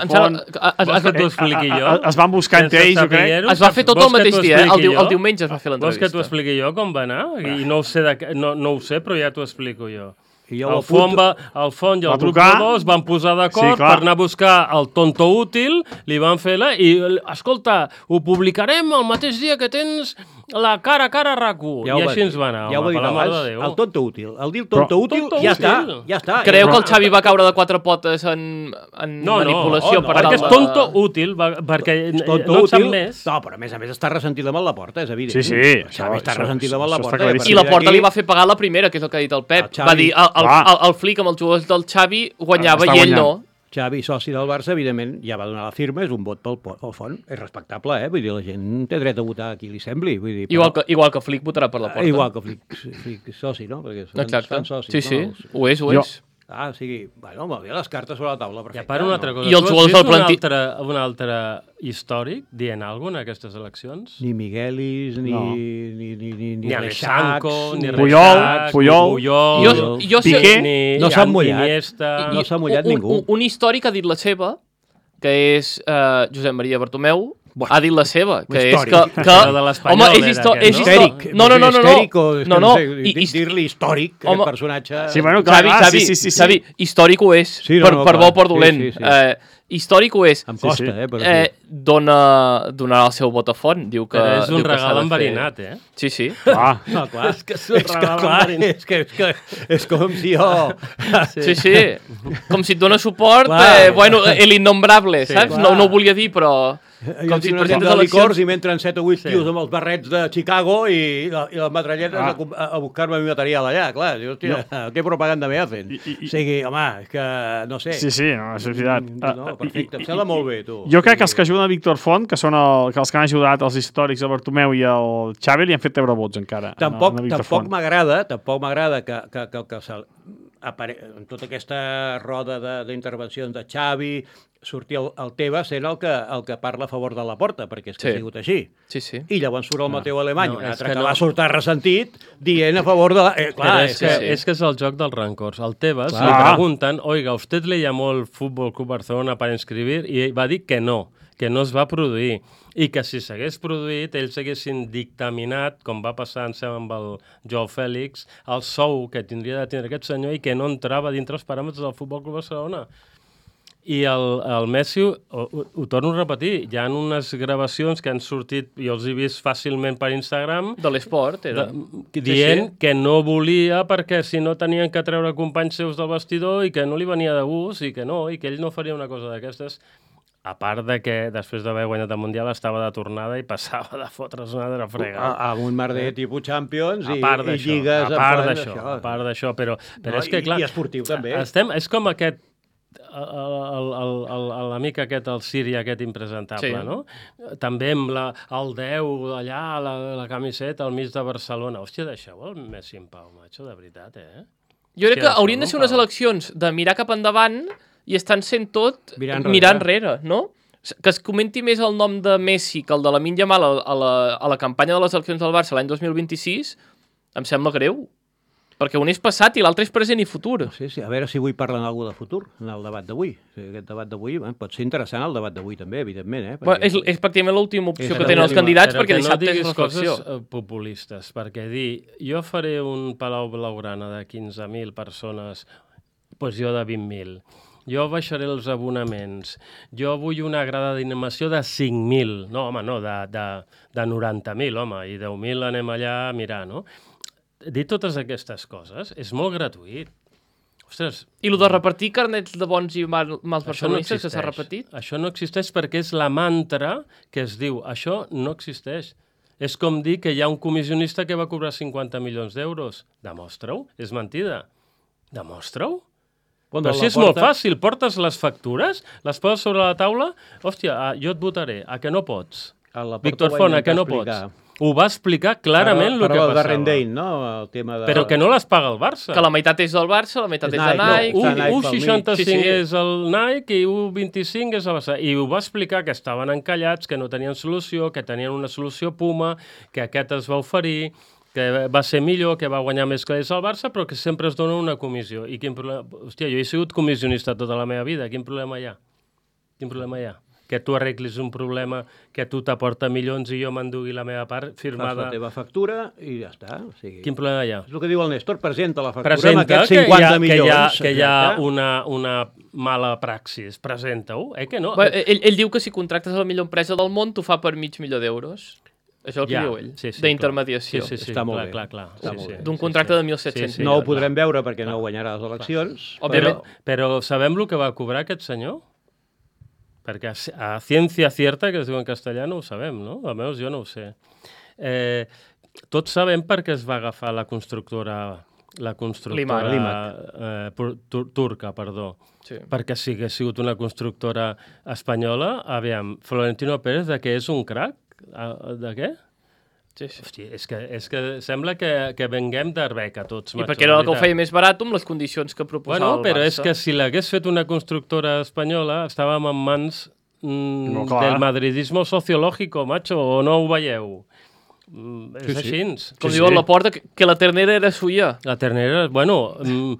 S2: Em
S4: Font...
S2: sembla que- es,
S5: Vols que
S2: es,
S5: t'ho expliqui jo?
S4: Eh, eh, Es van buscar entre ells, jo crec.
S2: es va fer tot
S5: Vols
S2: el
S5: que
S2: mateix
S5: t'ho
S2: dia, eh? El,
S5: expliqui
S2: diu, el
S5: jo?
S2: diumenge es va fer
S5: Vols que t'ho
S2: l'entrevista.
S5: expliqui jo com va anar? I no ho sé, de, no, no ho sé, però ja t'ho explico jo.
S1: I jo ho
S5: El Font,
S1: apunto.
S5: va, el Font i el
S4: Va
S5: grup
S4: trucar.
S5: Godó es van posar
S4: Sí,
S5: d'acord
S4: clar.
S5: per anar a buscar el tonto útil, li van fer la... I, escolta, ho publicarem el mateix dia que tens la cara a cara a R A C u.
S1: Ja
S5: I
S1: ho va
S5: així
S1: dir.
S5: ens va anar,
S1: Ja ho
S5: home,
S1: va dir
S5: per la mare de
S1: abans,
S5: Déu.
S1: el tonto útil. El dir tonto
S4: Però-
S1: útil,
S5: Tonto
S1: ja
S5: útil.
S1: està, ja està.
S2: Creu
S1: Ja
S2: que el
S1: està.
S2: Xavi va caure de quatre potes en, en
S5: No, no,
S2: manipulació
S5: oh, no,
S2: per
S5: perquè
S2: tal
S5: és
S2: de-
S5: tonto útil, va, perquè
S1: És tonto
S5: no en sap
S1: útil.
S5: més.
S1: No, però a més a més està ressentit amb el Laporta, és evident.
S4: Sí, sí,
S1: El
S4: això-
S1: Xavi està
S4: això-
S1: ressentit amb el
S4: això està
S1: Laporta.
S4: claríssim.
S2: I la Porta li va
S1: fer...
S2: fer pagar la primera, que és el que ha dit el Pep.
S1: El Xavi.
S2: Va dir, el, el,
S4: Clar.
S2: el, el flic amb els jugadors del Xavi guanyava
S4: Està
S2: i ell
S4: guanyant.
S2: no.
S1: Xavi, soci del Barça, evidentment, ja va donar la firma, és un vot pel, pel Font. És respectable, eh? Vull dir, la gent té dret a votar a qui li sembli. Vull dir,
S2: Igual
S1: però...
S2: que, igual que Flick votarà per la porta.
S1: Igual que Flick, Flick soci, no? Perquè fan,
S2: Exacte.
S1: fan socis,
S2: Sí, sí,
S1: no? Els...
S2: ho és, ho
S4: Jo-
S2: és.
S1: Ah, o sigui, bueno, molt bé, les cartes sobre la taula,
S5: I
S1: perfecte.
S5: a part una altra
S1: no?
S5: cosa.
S2: I els
S5: Tu has
S2: jugadors
S5: vist
S2: del planti-
S5: Un altre, un altre històric dient alguna cosa en aquestes eleccions?
S1: Ni Miguelis, ni,
S4: No.
S1: ni, ni, ni, ni,
S5: Ni
S1: Reixacs,
S5: Alexanco, ni
S4: Puyol,
S5: Reixac,
S4: Puyol.
S5: ni Puyol,
S2: Jo, jo sé...
S4: Piqué.
S5: ni
S1: No s'han mullat.
S5: Iniesta...
S1: no s'ha mullat
S2: un,
S1: ningú.
S2: Un, un històric ha dit la seva, que és uh, Josep Maria Bartomeu,
S1: Bueno,
S2: ha dit la seva, que és
S1: històric.
S2: que... que
S5: Però de l'Espanyol
S2: home, és,
S5: era
S2: histo
S5: aquest,
S2: és
S5: no?
S2: histo
S1: Histèric.
S2: No, no, no, no. no.
S1: Histèric o... és que
S2: no, no.
S1: sé,
S2: I, i,
S1: dir-li històric,
S2: Home,
S1: aquest personatge...
S4: Sí, bueno, clar,
S2: Xavi,
S4: clar,
S2: Xavi,
S4: sí, sí, sí, sí.
S2: Xavi, històric ho és,
S1: Sí, no,
S2: per,
S1: no,
S2: per bo
S1: clar.
S2: o per
S1: Sí,
S2: dolent.
S1: sí, sí.
S2: Eh, històric ho és.
S1: Em
S4: Sí,
S1: costa,
S4: sí.
S1: eh? Però
S2: Eh,
S1: sí.
S2: dona, donarà el seu vot a Font. Diu que,
S5: Però és
S2: diu
S5: un
S2: que s'ha
S5: regal
S2: de fer.
S5: enverinat, eh?
S2: Sí, sí.
S4: Ah,
S1: No, clar, és que, és,
S5: un
S1: que,
S5: regal
S1: clar,
S5: enverinat.
S1: és, que, és, que, és com si jo...
S2: Sí, sí. Com si et dona suport,
S1: Clar.
S2: eh, bueno, el innombrable,
S5: Sí,
S2: saps?
S1: clar.
S2: No, no ho volia dir, però...
S1: Jo
S2: Com si
S1: tinc
S2: et
S1: una
S2: presentes
S1: tenda de licors
S2: eleccions...
S1: i m'entren set o vuit
S5: Sí.
S1: tios amb els barrets de Chicago i, la, i les metralletes
S4: Ah.
S1: a, com- a, a buscar-me mi material allà, clar. Dius, hòstia, què propaganda me hacen?
S4: I- i-
S1: O sigui, home, és que, no sé.
S4: sí, sí, no, és veritat.
S1: No, no, perfecte, em sembla molt bé, tu.
S4: Jo crec que els que ajuden a Víctor Font, que són el, que els que han ajudat els històrics, el Bartomeu i el Xavi, li han fet treure vots encara.
S1: Tampoc,
S4: a, a Víctor
S1: tampoc
S4: Font.
S1: m'agrada, tampoc m'agrada que, que, que, que se, apare... en tota aquesta roda de- d'intervencions de, de Xavi sortir el, el Tebas sent el que, el que parla a favor de la porta, perquè és que
S2: Sí.
S1: ha sigut així.
S2: Sí, sí.
S1: I llavors surt el Mateu Alemany,
S5: no,
S1: un
S5: és
S1: altre
S5: que
S1: que,
S5: no.
S1: va sortir ressentit, dient a favor de la... Eh, clar,
S5: Però
S1: és,
S5: és, que,
S2: sí.
S5: és que és el joc dels rancors. El Tebas
S1: Clar.
S5: li pregunten, oiga, ¿usted le llamó el Fútbol Club Barcelona para inscribir? I va dir que no, que no es va produir. I que si s'hagués produït, ells haguessin dictaminat, com va passar, em sembla, amb el Joao Fèlix, el sou que tindria de tindre aquest senyor i que no entrava dintre els paràmetres del Futbol Club Barcelona. I el, el Messi, ho, ho, ho torno a repetir, hi ha unes gravacions que han sortit, jo els he vist fàcilment per Instagram,
S2: De l'esport, era...
S5: de, dient
S2: sí.
S5: que no volia perquè si no tenien que treure companys seus del vestidor i que no li venia de gust i que no, i que ell no faria una cosa d'aquestes, a part de que després d'haver guanyat el Mundial estava de tornada i passava de fotre's una altra frega.
S1: a, amb un merder tipus Champions
S5: A
S1: i,
S5: part
S1: i
S5: d'això,
S1: lligues...
S5: a
S1: en
S5: part
S1: plan
S5: d'això,
S1: d'això.
S5: a part d'això, però, però
S1: No,
S5: és que,
S1: i-
S5: clar...
S1: i esportiu, també.
S5: Estem, és com aquest el- el- el- el- l'amic aquest, el Siri aquest impresentable,
S2: Sí.
S5: no? També amb la, el deu allà, la, la camiseta al mig de Barcelona. Hòstia, deixeu el Messi en pau, macho, de veritat, eh?
S2: Jo crec
S5: Hòstia,
S2: que haurien de
S5: això
S2: ser
S5: no
S2: unes
S5: cal.
S2: eleccions de mirar cap endavant i estan sent tot
S1: Mirant
S2: mirant
S1: enrere.
S2: enrere, no? Que es comenti més el nom de Messi que el de Lamine Yamal a, a, la, a la campanya de les eleccions del Barça l'any dos mil vint-i-sis em sembla greu. Perquè un és passat i l'altre és present i futur.
S1: Sí, sí, a veure si avui parlen alguna de futur en el debat d'avui. O sigui, aquest debat d'avui eh, pot ser interessant el debat d'avui també, evidentment. Eh?
S2: Bueno, és, és pràcticament l'última opció
S1: És
S2: que tenen els
S1: l'última,
S2: candidats
S5: Però
S2: perquè
S5: que no
S2: dissabte és
S5: diguis
S2: reflexió.
S5: coses eh, populistes, perquè dir, jo faré un Palau Blaugrana de quinze mil persones, doncs jo de vint mil. Jo baixaré els abonaments. Jo vull una grada d'animació de cinc mil. No, home, no, de, de, de noranta mil, home, i deu mil anem allà a mirar, no? Dir totes aquestes coses és molt gratuït. Ostres,
S2: I el de repartir carnets de bons i mal, mals
S5: això no
S2: barcelonistes que s'ha
S5: existeix.
S2: repetit?
S5: Això no existeix perquè és la mantra que es diu. Això no existeix. És com dir que hi ha un comissionista que va cobrar cinquanta milions d'euros. Demostra-ho. És mentida. Demostra-ho.
S1: Quan
S5: Però
S1: de
S5: si
S1: la
S5: és molt
S1: porta-
S5: fàcil. Portes les factures, les poses sobre la taula, hòstia, ah, jo et votaré. A que no pots?
S1: A la porta
S5: Víctor
S1: ho va
S5: Font, a que no
S1: intentar
S5: pots? Ho va explicar clarament el que
S1: Parla de
S5: passava.
S1: Rendain, no? El tema de...
S5: Però que no les paga el Barça.
S2: Que la meitat és del Barça, la meitat
S1: És
S2: és, de
S1: Nike, no,
S2: Nike.
S1: Està
S5: un
S1: Nike
S5: un
S1: pel mig.
S5: seixanta-cinc
S2: Sí, sí.
S5: és el Nike i un vint-i-cinc és el Barça. I ho va explicar que estaven encallats, que no tenien solució, que tenien una solució Puma, que aquest es va oferir, que va ser millor, que va guanyar més calés al Barça, però que sempre es dona una comissió. I quin problema... Hòstia, jo he sigut comissionista tota la meva vida. Quin problema hi ha? Quin problema hi ha? Que tu arreglis un problema que tu t'aporta milions i jo m'endugui la meva part
S1: Fas
S5: firmada.
S1: la teva factura i ja està. O sigui,
S5: Quin problema hi ha?
S1: és el que diu el Néstor, presenta la factura
S5: Presenta
S1: amb aquests
S5: que hi
S1: cinquanta
S5: ha,
S1: milions.
S5: que hi ha, que hi ha
S1: exacte.
S5: una, una mala praxis. Presenta-ho, eh que no?
S2: Bé, ell, ell diu que si contractes a la millor empresa del món t'ho fa per mig milió d'euros. Això és el que
S5: Ja,
S2: diu ell,
S5: sí, sí,
S2: d'intermediació.
S5: Sí, sí, sí,
S1: Està molt
S5: clar,
S1: bé.
S5: clar, clar.
S1: Està
S5: sí,
S1: molt
S5: sí,
S1: bé.
S2: D'un
S5: sí,
S2: contracte
S5: sí.
S2: de mil set-cents
S5: Sí, sí,
S1: No ho
S5: clar.
S1: podrem veure perquè no guanyarà les eleccions.
S2: Òbviament.
S5: Però, però sabem el que va cobrar aquest senyor? Perquè a, a ciència cierta, que es diu en castellà, no ho sabem, no? Almenys jo no ho sé. Eh, tots sabem per què es va agafar la constructora la constructora
S2: Limac.
S1: Limac.
S5: eh, por- tur turca, perdó.
S2: Sí.
S5: Perquè si hagués sigut una constructora espanyola, aviam, Florentino Pérez de què és un crac? Ah, De què?
S2: Sí, sí.
S5: Hòstia, és que, és que sembla que, que venguem d'Arbeca tots,
S2: I
S5: macho,
S2: perquè era el que ho
S5: de
S2: feia
S5: veritat.
S2: més barat amb les condicions que proposava
S5: Bueno,
S2: el
S5: però
S2: Barça.
S5: és que si l'hagués fet una constructora espanyola, estàvem en mans mm,
S4: No, clar.
S5: del madridismo sociológico, macho, o no ho veieu? Mm, és
S1: Sí, sí.
S5: així.
S2: Com
S4: Sí,
S2: diuen
S4: sí.
S2: la porta, que, que la ternera era suya.
S5: La ternera, bueno, mm,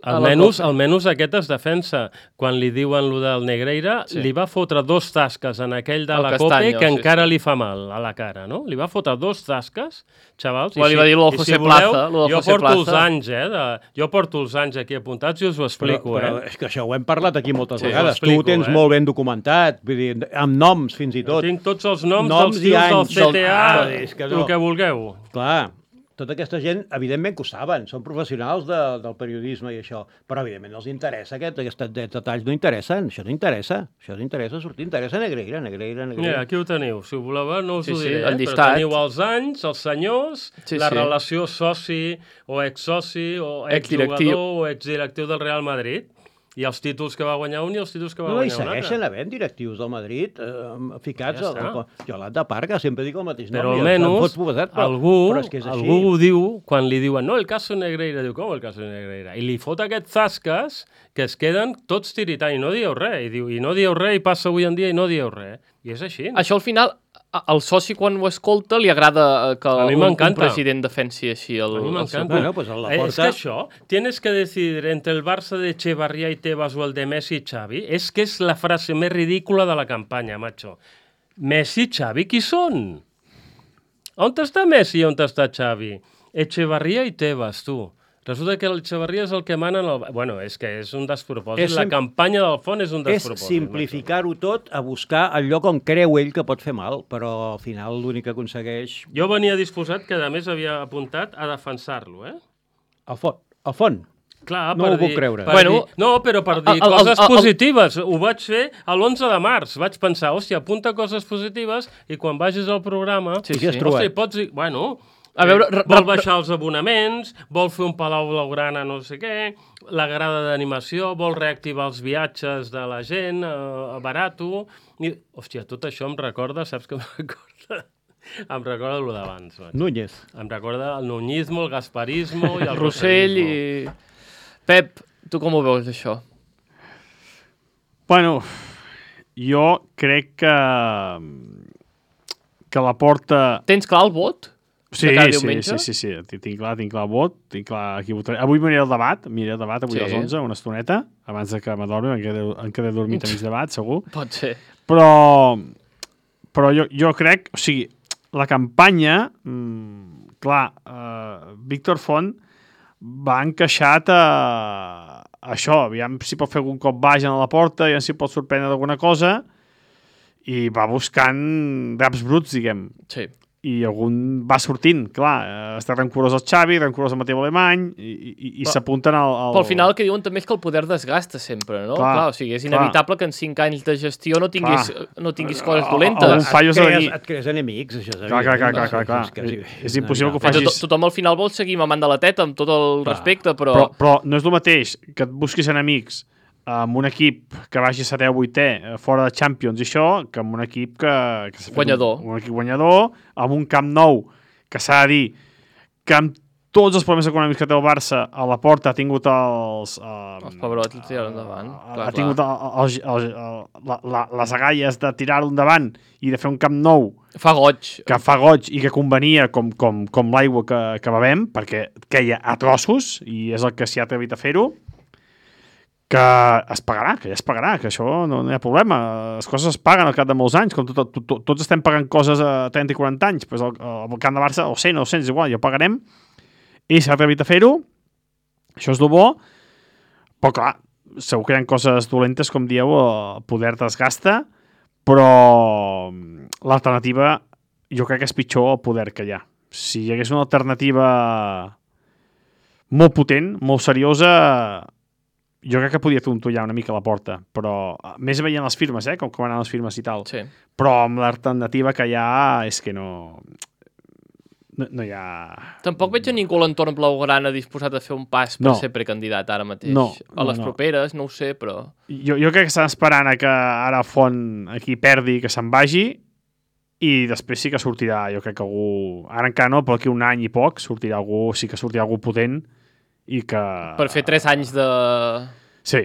S2: A la
S5: almenys,
S2: Copa.
S5: almenys aquest es defensa. Quan li diuen lo del Negreira,
S2: Sí.
S5: sí. li va fotre dos tasques en aquell de
S2: El
S5: la
S2: Castanyo,
S5: Copa que
S2: sí,
S5: encara
S2: sí.
S5: li fa mal a la cara, no? Li va fotre dos tasques, xavals.
S2: Bueno, li va dir lo del José Plaza, lo del
S5: jo
S2: José
S5: porto els
S2: Plaza.
S5: anys, eh? De, jo porto els anys aquí apuntats i us ho
S1: Però,
S5: explico,
S1: però
S5: eh?
S1: és que això ho hem parlat aquí moltes
S5: Sí,
S1: vegades.
S5: ho explico,
S1: Tu ho tens
S5: eh?
S1: molt ben documentat, vull dir, amb noms fins i tot.
S5: Tinc tots els noms,
S1: Noms
S5: dels
S1: i
S5: tios del
S1: anys
S5: C T A,
S1: del- Ah, és que
S5: el
S1: no.
S5: que vulgueu.
S1: Clar, tota aquesta gent, evidentment que ho saben, són professionals de, del periodisme i això, però evidentment els interessa, aquest, aquests detalls no interessen, això no interessa, això no interessa sortir, interessa Negreira, Negreira, Negreira.
S5: Mira, aquí ho teniu. Si ho voleu, no us
S2: Sí,
S5: ho
S2: sí,
S5: diré,
S2: el
S5: eh?
S2: llistat.
S5: Però teniu els anys, els senyors,
S2: Sí,
S5: la
S2: sí.
S5: relació soci o exsoci o
S2: Exdirectiu.
S5: exjugador o exdirectiu del Real Madrid i els títols que va guanyar un i els títols que va
S1: No, i
S5: guanyar un altre.
S1: segueixen havent directius del Madrid eh, ficats
S5: Ja
S1: al...
S5: està.
S1: Yolanda Parga, sempre dic el mateix nom.
S5: Però
S1: i em- em
S5: almenys
S1: fots publicitat, però,
S5: algú,
S1: però és que és així.
S5: algú ho diu quan li diuen no, el caso Negreira, diu com el caso Negreira? I li fot aquests zasques que es queden tots tiritant i no dieu res. I diu, i no dieu res i passa avui en dia i no dieu res. I és així.
S2: Això al final, a- al soci quan ho escolta li agrada eh, que
S5: A mi
S2: un, un
S5: m'encanta.
S2: president defensi així el,
S5: A mi
S2: el seu
S5: m'encanta.
S1: Bueno, pues a la
S5: Eh, És
S1: porta-
S5: que això, tienes que decidir entre el Barça de Echevarría y Tebas o el de Messi y Xavi, és que és la frase més ridícula de la campanya, macho. Messi i Xavi, qui són? On està Messi i on està Xavi? Echevarría i Tebas, tu. Resulta que l'Echevarría és el que mana en el... Bueno, és que és un despropòsit.
S1: És
S5: La
S1: sim-
S5: campanya del fons és un
S1: És
S5: despropòsit.
S1: simplificar-ho tot a buscar el lloc on creu ell que pot fer mal, però al final l'únic que aconsegueix...
S5: macho. Jo venia disposat, que a més havia apuntat, a defensar-lo, eh?
S1: Al font. Al font.
S5: Clar,
S1: No
S5: per
S1: ho puc
S5: dir,
S1: creure.
S5: Per
S2: Bueno,
S5: dir, no, però per dir
S2: el- el-
S5: coses
S2: el- el-
S5: positives. Ho vaig fer a l'onze de març. Vaig pensar, hòstia, apunta coses positives i quan vagis al programa...
S2: Sí,
S1: I què has
S2: sí.
S1: trobat?
S5: Hòstia, pots dir... Bueno,
S2: A veure,
S5: eh,
S2: re-
S5: vol
S2: re-
S5: baixar els abonaments, vol fer un Palau Blaugrana no sé què, la grada d'animació, vol reactivar els viatges de la gent, eh, barato... I, hòstia, tot això em recorda, saps què em recorda? Em recorda el d'abans. macho.
S1: Núñez.
S5: Em recorda el nuñismo, el gasparismo i el
S2: el Rossell i... Pep, tu com ho veus, això?
S4: Bueno, jo crec que que la porta...
S2: Tens clar el vot?
S4: Sí,
S2: de cada
S4: sí,
S2: diumenge?
S4: sí, sí, sí, Tinc- tinc clar, tinc clar el vot, tinc clar qui votaré. Avui miraré el debat, miraré el debat avui
S2: Sí.
S4: a les onze, una estoneta, abans de que m'adormi, em quedé, em quedé dormit a mig debat, segur.
S2: Pot ser.
S4: Però, però jo, jo crec, o sigui, la campanya, mmm, clar, uh, Víctor Font va encaixat a, a això, aviam si pot fer algun cop baix a la porta, aviam si pot sorprendre d'alguna cosa, i va buscant draps bruts, diguem,
S2: Sí.
S4: i algun va sortint, clar, eh, està rancurós el Xavi, rancurós el Mateu Alemany, i, i, i s'apunten al, al...
S2: Però al final el que diuen també és que el poder desgasta sempre, no?
S4: Clar,
S2: Clar, o sigui, és
S4: clar.
S2: inevitable que en cinc anys de gestió no tinguis, no tinguis coses
S4: Al-
S2: dolentes.
S4: algun fallo s'ha de
S1: crees,
S4: dir.
S1: et crees enemics, això és
S4: Clar, clar, clar,
S1: evident.
S4: clar, clar, clar.
S1: És, que
S4: És, és impossible que ho
S2: Però
S4: facis...
S2: to- Tothom al final vol seguir mamant de la teta amb tot el
S1: Clar.
S2: respecte, però...
S4: Però, però no és el mateix que et busquis enemics amb un equip que vagi a setè o vuitè eh, fora de Champions i això, que amb un equip que... que s'ha fet
S2: Guanyador.
S4: Un, un equip guanyador, amb un camp nou, que s'ha de dir que amb tots els problemes econòmics que té el Barça, a la porta ha tingut els... Eh,
S2: Els pebrots li tiraran endavant,
S4: Ha,
S2: clar,
S4: ha tingut el, el, el, el, la, la, les agalles de tirar-lo endavant i de fer un camp nou
S2: Fa goig.
S4: que fa goig i que convenia com, com, com l'aigua que, que bevem, perquè queia a trossos i és el que s'hi ha atrevit a fer-ho, que es pagarà, que ja es pagarà, que això no, no hi ha problema. Les coses es paguen al cap de molts anys, com tot, tot, tot, tots estem pagant coses a trenta i quaranta anys, doncs el, el camp de Barça, o cent o cent, és igual, ja ho pagarem. Ell s'ha atrevit a fer-ho, això és el bo, però clar, segur que hi ha coses dolentes, com dieu, el poder desgasta, però l'alternativa jo crec que és pitjor el poder que hi ha. Si hi hagués una alternativa molt potent, molt seriosa, jo crec que podia tontollar una mica la porta, però més veient les firmes, eh, com, com anaven les firmes i tal.
S2: Sí.
S4: Però amb l'alternativa que hi ha és que no... no, no hi ha...
S2: Tampoc veig a ningú a l'entorn blaugrana disposat a fer un pas per
S4: No.
S2: ser precandidat ara mateix.
S4: No,
S2: a les
S4: no, no.
S2: properes, no ho sé, però...
S4: Jo, jo crec que estan esperant a que ara Font aquí perdi, que se'n vagi, i després sí que sortirà, jo crec que algú... Ara encara no, però aquí un any i poc sortirà algú, sí que sortirà algú potent i que...
S2: Per fer tres anys de...
S4: Sí,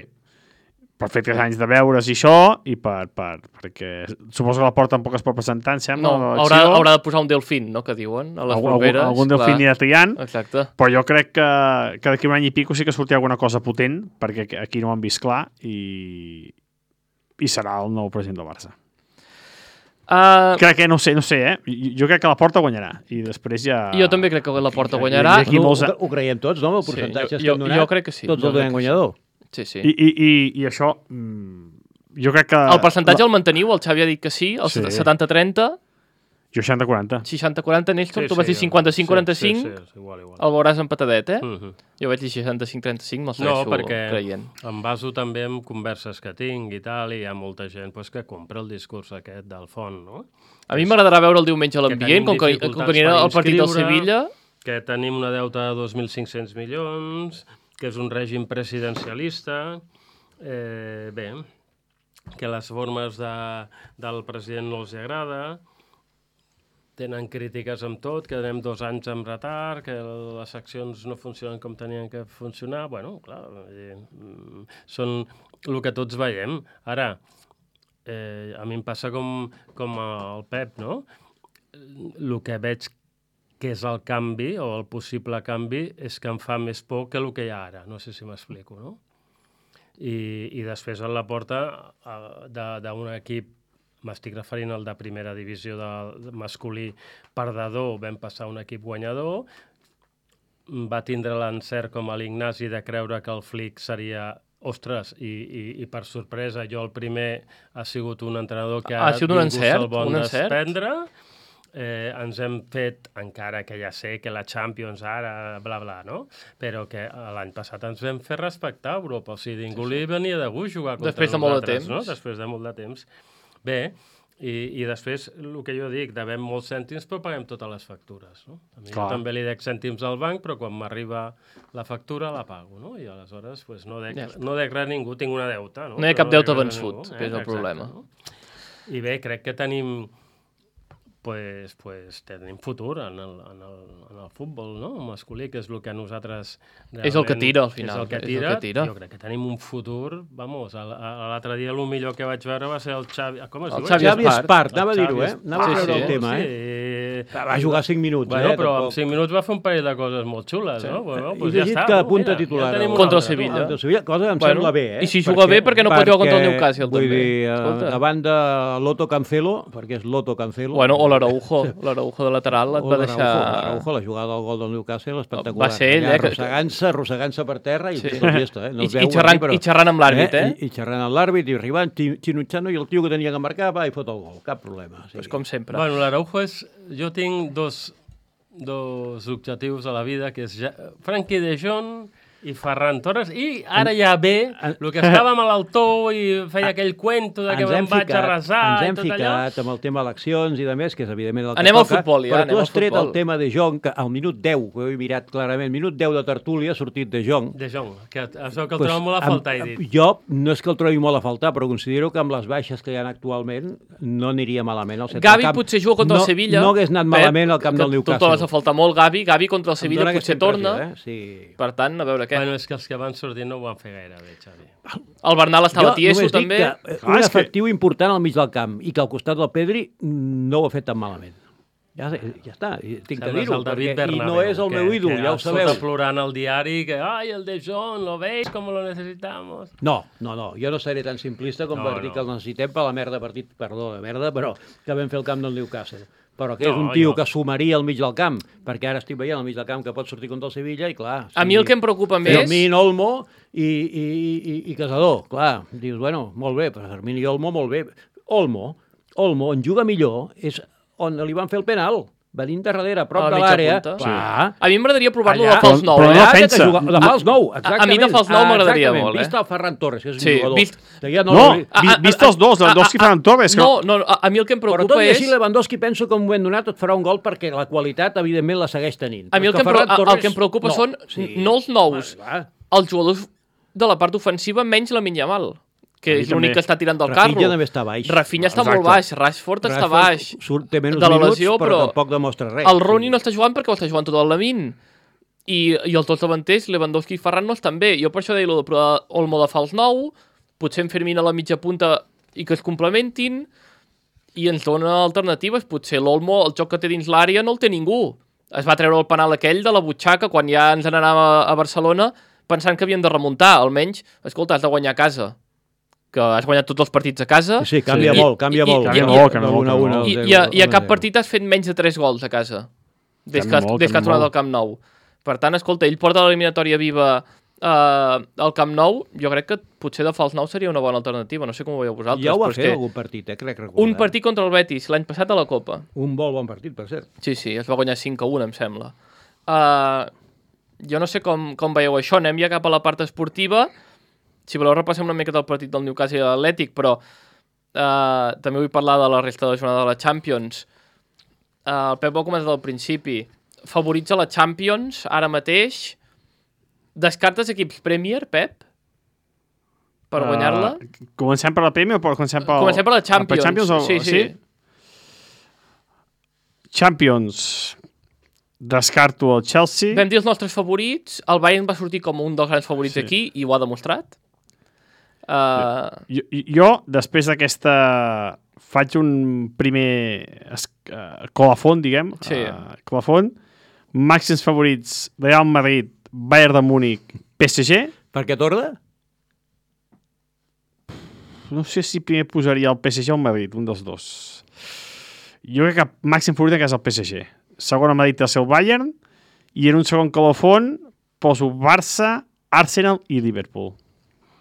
S4: per fer tres anys de veure's i això, i per, per, perquè suposo que la Porta tampoc es pot presentar, em sembla,
S2: No,
S4: a
S2: haurà,
S4: l'elecció.
S2: haurà de posar un delfín, no?, que diuen, a les
S4: Algú-
S2: properes.
S4: Algun, algun
S2: clar.
S4: delfín anirà triant,
S2: Exacte.
S4: però jo crec que, que d'aquí un any i pico sí que sortirà alguna cosa potent, perquè aquí no ho han vist clar, i, i serà el nou president del Barça.
S2: Uh,
S4: Crec que, no sé, no sé, eh? Jo, jo crec que la Porta guanyarà, i després ja...
S2: jo també crec que la Porta
S4: I-
S2: guanyarà.
S4: i aquí
S1: No,
S4: molts-
S1: ho, ho creiem tots, no? El
S2: Sí,
S1: percentatge
S2: jo-
S1: que
S2: jo-
S1: hem donat,
S2: jo crec que sí,
S1: tots
S2: jo
S1: el
S2: crec
S1: donem
S2: que sí.
S1: guanyador.
S2: Sí, sí.
S4: I, i, i, i això... Mm, jo crec que...
S2: El percentatge el manteniu, el Xavi ha dit que sí, el
S4: Sí.
S2: setanta trenta,
S4: Jo seixanta quaranta.
S2: seixanta quaranta, Néstor, tu vas dir cinquanta-cinc quaranta-cinc,
S5: Sí, sí, sí, igual, igual.
S2: el veuràs empatadet, eh?
S5: Mhm.
S2: Jo vaig dir seixanta-cinc trenta-cinc, me'l
S5: No,
S2: segueixo
S5: perquè
S2: creient.
S5: em baso també en converses que tinc i tal, i hi ha molta gent pues, que compra el discurs aquest del Font, no?
S2: A mi m'agradarà veure el diumenge a
S5: Que
S2: l'ambient,
S5: tenim
S2: com que,
S5: dificultats
S2: com que anirà
S5: per
S2: al partit del
S5: inscriure.
S2: Sevilla.
S5: Que tenim una deuta de dos mil cinc-cents milions, que és un règim presidencialista, eh, bé, que les formes de, del president no els agrada, tenen crítiques amb tot, que anem dos anys amb retard, que les accions no funcionen com tenien que funcionar. Bueno, clar, eh, són el que tots veiem. Ara, eh, a mi em passa com, com el Pep, no? El que veig que és el canvi, o el possible canvi, és que em fa més por que el que hi ha ara. No sé si m'explico, no? I, i després a la porta d'un equip, m'estic referint al de primera divisió de masculí perdedor, vam passar a un equip guanyador, va tindre l'encert com a l'Ignasi de creure que el Flick seria ostres, i, i, i per sorpresa jo el primer ha sigut un entrenador que
S2: Ha sigut un
S5: ningú
S2: encert,
S5: se'l vol
S2: un encert?
S5: desprendre. Eh, ens hem fet, encara que ja sé que la Champions ara, bla, bla, no? Però que l'any passat ens vam fer respectar a Europa. O sigui, ningú li venia de gust jugar contra
S2: Després de molt de
S5: nosaltres,
S2: temps.
S5: no? Després de molt de temps. Bé, i, i després, el que jo dic, devem molts cèntims, però paguem totes les factures, no? A mi
S4: Clar.
S5: jo també li dec cèntims al banc, però quan m'arriba la factura la pago, no? I aleshores pues, no, dec,
S2: Ja està.
S5: no dec res a ningú, tinc una deuta, no?
S2: No hi ha
S5: Però
S2: cap deute
S5: dec res a
S2: vençut,
S5: ningú,
S2: que és el
S5: Exacte,
S2: problema.
S5: no? I bé, crec que tenim pues, pues, tenim futur en el, en, el, en el futbol, no? masculí, que és el que a nosaltres...
S2: És el que tira, al final,
S5: És el que
S2: és el
S5: tira.
S2: que tira.
S5: Jo crec que tenim un futur, vamos, a- a- a l'altre dia el millor que vaig veure va ser el Xavi... Com es
S2: El
S5: diu?
S2: Xavi
S1: Xavi
S2: Espart.
S1: Espart, anava a
S5: El
S1: dir-ho,
S5: Xavi
S1: eh?
S5: Espart.
S1: Anava a
S2: Sí,
S1: treure
S2: sí,
S1: el tema,
S5: sí.
S1: eh? Va jugar cinc minuts,
S5: Bueno,
S1: eh?
S5: però
S1: Tampoc.
S5: en cinc minuts va fer un parell de coses molt xules,
S2: Sí.
S5: no? Bueno,
S1: He
S5: pues ja
S1: llegit
S5: està.
S1: que
S5: no?
S1: apunta
S5: Mira,
S1: titular.
S5: Ja tenim
S1: el-
S5: una
S2: Contra el
S5: altra,
S2: Sevilla.
S5: no?
S1: Contra el Sevilla, cosa que em
S2: Bueno,
S1: sembla bé, eh?
S2: i si juga bé, per què no pot jugar contra el Newcastle,
S1: vull
S2: també?
S1: dir, eh,
S2: Escolta.
S1: davant de l'Otto Cancelo, perquè és l'Otto Cancelo...
S2: Bueno, o l'Araujo, l'Araujo de lateral et
S1: o
S2: va
S1: l'Araujo,
S2: deixar...
S1: l'Araujo, la jugada del gol del Newcastle, espectacular.
S2: Va ser ell,
S1: Allà
S2: eh, que-
S1: Arrossegant-se, arrossegant-se per terra i
S2: Sí.
S1: sí. tot llesta, eh? No
S2: I-
S1: es
S2: i
S1: veu
S2: xerrant-
S1: aquí, però-
S2: i xerrant amb l'àrbit, eh?
S1: I, I xerrant amb l'àrbit, i arribant, xi- xinutxant, i el tio que tenia que marcar va i fot el gol. Cap problema. Sí.
S2: Pues com sempre.
S5: Bueno, l'Araujo és... Jo tinc dos, dos objectius a la vida, que és ja... Frankie de Jong i Ferran Torres, i ara ja ve
S1: en-
S5: el que estàvem a l'altó i feia aquell cuento de que
S1: Ens
S5: me'n
S1: hem
S5: vaig a
S1: ficat,
S5: resar
S1: ens
S5: i
S1: hem
S5: tot allò.
S1: ficat amb el tema eleccions i de més, que és evidentment el que
S2: Anem al
S1: toca,
S2: futbol, ja,
S1: però
S2: anem
S1: tu
S2: al
S1: has tret
S2: futbol.
S1: el tema de Jong, que al minut deu, que ho he mirat clarament, minut deu de tertúlia ha sortit de Jong.
S5: De Jong, que es veu que el trobo molt a
S1: amb-
S5: faltar, he dit.
S1: Jo no és que el trobi molt a faltar, però considero que amb les baixes que hi ha actualment no aniria malament al centre
S2: Gavi
S1: del camp.
S2: potser juga contra
S1: no,
S2: el Sevilla.
S1: No hagués anat
S2: Pep,
S1: malament al camp
S2: que
S1: del
S2: Tu
S1: Newcastle.
S2: trobes a faltar molt Gavi. Gavi contra el
S1: Em
S2: Sevilla
S1: dóna aquesta
S2: potser torna.
S1: impressió, Eh? Sí.
S2: Per tant, a veure què.
S5: Bueno, és que els que van sortir no ho van fer gaire bé, Xavi.
S2: El Bernal estava
S1: Jo
S2: tieso,
S1: només dic
S2: també.
S1: que eh,
S4: Clar,
S1: un
S4: és que-
S1: efectiu important al mig del camp i que al costat del Pedri mm, no ho ha fet tan malament. Ja, sé, ja està, i tinc que
S5: Sembles
S1: dir-ho,
S5: el David
S1: perquè- i
S5: Bernabéu,
S1: no és el
S5: que-
S1: meu ídol,
S5: que
S1: ja ho sabeu.
S5: sota plorant al diari que, ai, el de Jong, lo veis, com lo necesitamos.
S1: No, no, no, jo no seré tan simplista com
S5: No,
S1: per dir
S5: no.
S1: que el necessitem per la merda partit, perdó, de merda, però que vam fer el camp del Newcastle. Però que és
S5: No,
S1: un tio
S5: jo-
S1: que sumaria al mig del camp, perquè ara estic veient al mig del camp que pot sortir contra el Sevilla i clar...
S2: A mi el que em preocupa més...
S1: Fermín, Olmo i, i, i, i Casador, clar, dius, bueno, molt bé, però Fermín i Olmo, molt bé. Olmo, Olmo, on juga millor és on li van fer el penal. venint de darrere, a prop
S2: A la
S1: de
S2: mitja
S1: l'àrea.
S2: punta.
S1: Clar.
S2: A mi m'agradaria provar-lo
S1: Allà,
S2: de fals nou.
S4: però
S2: eh?
S4: no
S1: Allà,
S4: defensa.
S1: que juga- de fals nou,
S2: A- a
S1: exactament.
S2: mi de fals nou
S1: Ah,
S2: m'agradaria
S1: exactament.
S2: molt, eh?
S1: Vist el Ferran Torres, que és un
S2: Sí,
S1: jugador.
S2: vist-
S1: Que ja no,
S4: No,
S1: l'hauria-
S2: Ah,
S4: vi,
S2: ah,
S4: vist
S2: ah,
S4: els dos, Lewandowski i Ferran Torres. que-
S2: No, no, a, a mi el que em
S1: Però tot
S2: preocupa
S1: i
S2: és...
S1: així, Lewandowski penso que en un moment donat et farà un gol perquè la qualitat, evidentment, la segueix tenint.
S2: A mi el
S1: Però
S2: que, em,
S1: Ferran
S2: pro- el
S1: Torres,
S2: que em preocupa
S1: no.
S2: són
S1: Sí.
S2: no els nous,
S1: Va, va.
S2: els jugadors de la part ofensiva menys la Yamal, que
S4: A mi
S2: és l'únic
S4: també.
S2: que està tirant del
S1: Rafinha
S2: carro.
S1: també està baix.
S2: Rafinha està
S4: Exacte.
S2: molt baix, Rashford està
S1: Rashford
S2: baix.
S1: Surt, té menys
S2: de la
S1: minuts,
S2: lesió,
S1: però,
S2: però
S1: tampoc demostra res.
S2: El Rooney no està jugant perquè ho està jugant tot el Lamine. I, i els dos davanters, Lewandowski i Ferran, no estan bé. Jo per això deia lo de provar Olmo de fals nou, potser en Fermín a la mitja punta i que es complementin, i ens dona alternatives. Potser l'Olmo, el joc que té dins l'àrea, no el té ningú. Es va treure el penal aquell de la butxaca quan ja ens n'anàvem a, a Barcelona pensant que havíem de remuntar. Almenys, escolta, has de guanyar a casa. Que has guanyat tots els partits a casa.
S1: Sí, canvia
S2: I-
S1: molt, canvia
S2: i-
S1: molt.
S2: i-
S4: Canvia
S2: i-
S4: molt, canvia molt,
S1: Una,
S4: canvia
S1: una,
S4: molt.
S2: I,
S1: zero,
S2: i, a, I a
S1: una,
S2: cap
S1: zero.
S2: partit has fet menys de tres gols a casa, des que,
S4: Canvia molt,
S2: des que has
S4: canvia
S2: tornat
S4: molt.
S2: al Camp Nou. Per tant, escolta, ell porta l'eliminatòria viva eh, al Camp Nou. Jo crec que potser de fals nou seria una bona alternativa. No sé com ho veieu vosaltres.
S1: Ja ho
S2: però
S1: va
S2: és
S1: fer
S2: que
S1: algun partit, eh, crec recordar.
S2: un partit contra el Betis, l'any passat a la Copa.
S1: Un molt bon partit, per cert.
S2: Sí, sí, es va guanyar cinc a un, em sembla. Uh, jo no sé com, com veieu això. Anem ja cap a la part esportiva. Si voleu repassem una mica del partit del Newcastle i l'Atlètic, però Uh, també vull parlar de la resta de la jornada de la Champions. Uh, el Pep ho ha comentat al principi. Favorits a la Champions, ara mateix. Descartes equips Premier, Pep? Per
S4: Uh,
S2: guanyar-la?
S4: Comencem per la Premier o per- comencem per...
S2: Comencem per la Champions.
S4: Per Champions o...
S2: Sí, sí.
S4: Champions. Descarto el Chelsea.
S2: Vam dir els nostres favorits. El Bayern va sortir com un dels grans favorits
S4: Sí.
S2: aquí i ho ha demostrat. Uh,
S4: Jo, jo, després d'aquesta... Faig un primer es- uh, colafon, diguem.
S2: Sí.
S4: Uh, colafon. Màxims favorits: Real Madrid, Bayern de Múnich, P S G.
S1: Per què torna?
S4: No sé si primer posaria el P S G o el Madrid, un dels dos. Jo crec que màxim favorit que és el P S G. Segon a Madrid el seu Bayern, i en un segon colofon poso Barça, Arsenal i Liverpool.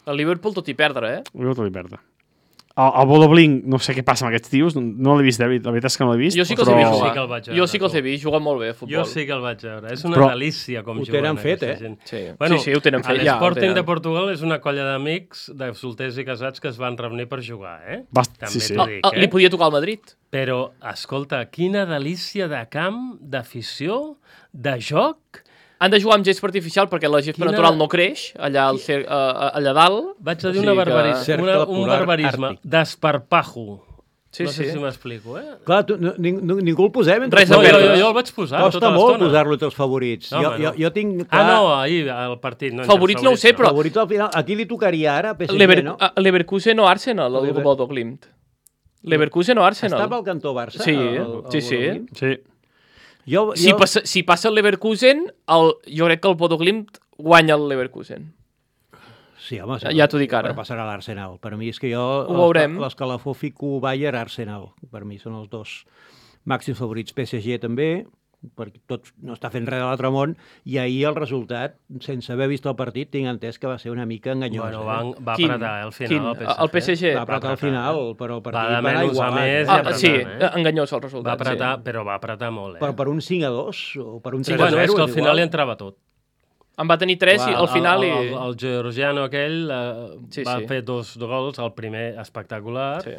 S2: el Liverpool tot i perdre, eh?
S4: Liverpool i perdre. El, el Bodoblink, no sé què passa amb aquests tios, no, no l'he vist, David, la veritat és que no l'he vist.
S2: Jo sí que els
S4: però...
S2: he vist
S5: Jo
S2: jugar.
S5: sí que el vaig veure,
S2: jo sí que els he
S5: tu.
S2: vist, juguen molt bé a futbol.
S5: Jo sí que el vaig veure. És una
S4: Però-
S5: delícia com
S1: Ho
S5: juguen
S1: tenen fet,
S5: aquesta
S1: eh?
S5: gent.
S2: Sí.
S5: Bueno,
S2: sí, sí, ho tenen fet. Ja, ho
S5: L'Sporting
S2: tenen.
S5: de Portugal és una colla d'amics, de solters i casats que es van reunir per jugar, eh?
S4: Bast...
S5: També
S4: Sí, sí.
S5: t'ho
S2: Ah,
S5: dic,
S2: ah, li
S5: eh?
S2: podia tocar al Madrid.
S5: Però, escolta, quina delícia de camp, d'afició, de joc.
S2: Han de jugar amb gespa artificial perquè la gespa
S5: Quina-
S2: natural no creix allà, al cer uh, allà dalt.
S5: Vaig a
S2: O
S5: dir
S2: sigui
S5: una
S2: que-
S5: barbarisme,
S1: Cercle
S5: una, un
S1: polar
S5: barbarisme,
S1: àrtic.
S5: d'esparpajo.
S2: Sí,
S5: no sé
S2: sí.
S5: si m'explico, eh?
S1: Clar, tu, no, ning, ningú el posem entre
S2: Res
S5: No,
S2: de
S5: jo,
S2: perdre.
S5: jo, jo el vaig posar
S1: Costa
S5: tota
S1: molt
S5: l'estona.
S1: posar-lo entre els favorits.
S5: No,
S1: jo,
S5: home,
S1: jo,
S5: no.
S1: jo tinc...
S5: Ah, no, ahir, al partit. No,
S2: Favorits no ho sé, però-
S1: Favorits al final. A qui li tocaria ara? P S G,
S2: Lever
S1: no?
S2: a- Leverkusen o Arsenal, el
S1: Lever-
S2: Bodo Glimt. Leverkusen o Arsenal.
S1: Estava al cantó Barça?
S2: Sí,
S1: el, el,
S2: sí, sí.
S1: Bodoglin?
S4: Sí.
S1: Jo, jo,
S2: Si, passa, si passa el Leverkusen, el, jo crec que el Bodo Glimt guanya el Leverkusen.
S1: Sí, home, sí,
S2: Ja t'ho dic ara.
S1: Però passarà a l'Arsenal. Per mi és que jo...
S2: Ho veurem.
S1: L'escalafó fico Bayern, Arsenal. Per mi són els dos màxims favorits. P S G també, perquè tot no està fent res de l'altre món, i ahir el resultat, sense haver vist el partit, tinc entès que va ser una mica enganyós.
S5: Bueno,
S1: eh?
S5: va, va
S2: Quin?
S5: apretar eh, al final
S2: Quin?
S5: el P S G.
S2: El P S G?
S1: Va apretar al final, però el
S5: Va
S1: partit
S5: de
S1: va anar
S5: menys a
S1: igualat.
S5: més
S1: eh?
S5: i
S2: Ah,
S5: apretant,
S2: sí,
S5: eh?
S2: enganyós el resultat.
S5: Va apretar,
S2: sí.
S5: però va apretar molt, eh?
S1: Per, per un cinc a dos o per un
S5: Sí,
S1: tres a zero.
S5: bueno, és que al
S1: és
S5: final
S1: igual.
S5: hi entrava tot.
S2: En va tenir tres i
S1: Clar,
S2: al final...
S5: el,
S2: i...
S5: el, el georgiano aquell eh,
S2: Sí,
S5: va
S2: sí.
S5: fer dos gols, el primer espectacular,
S2: Sí.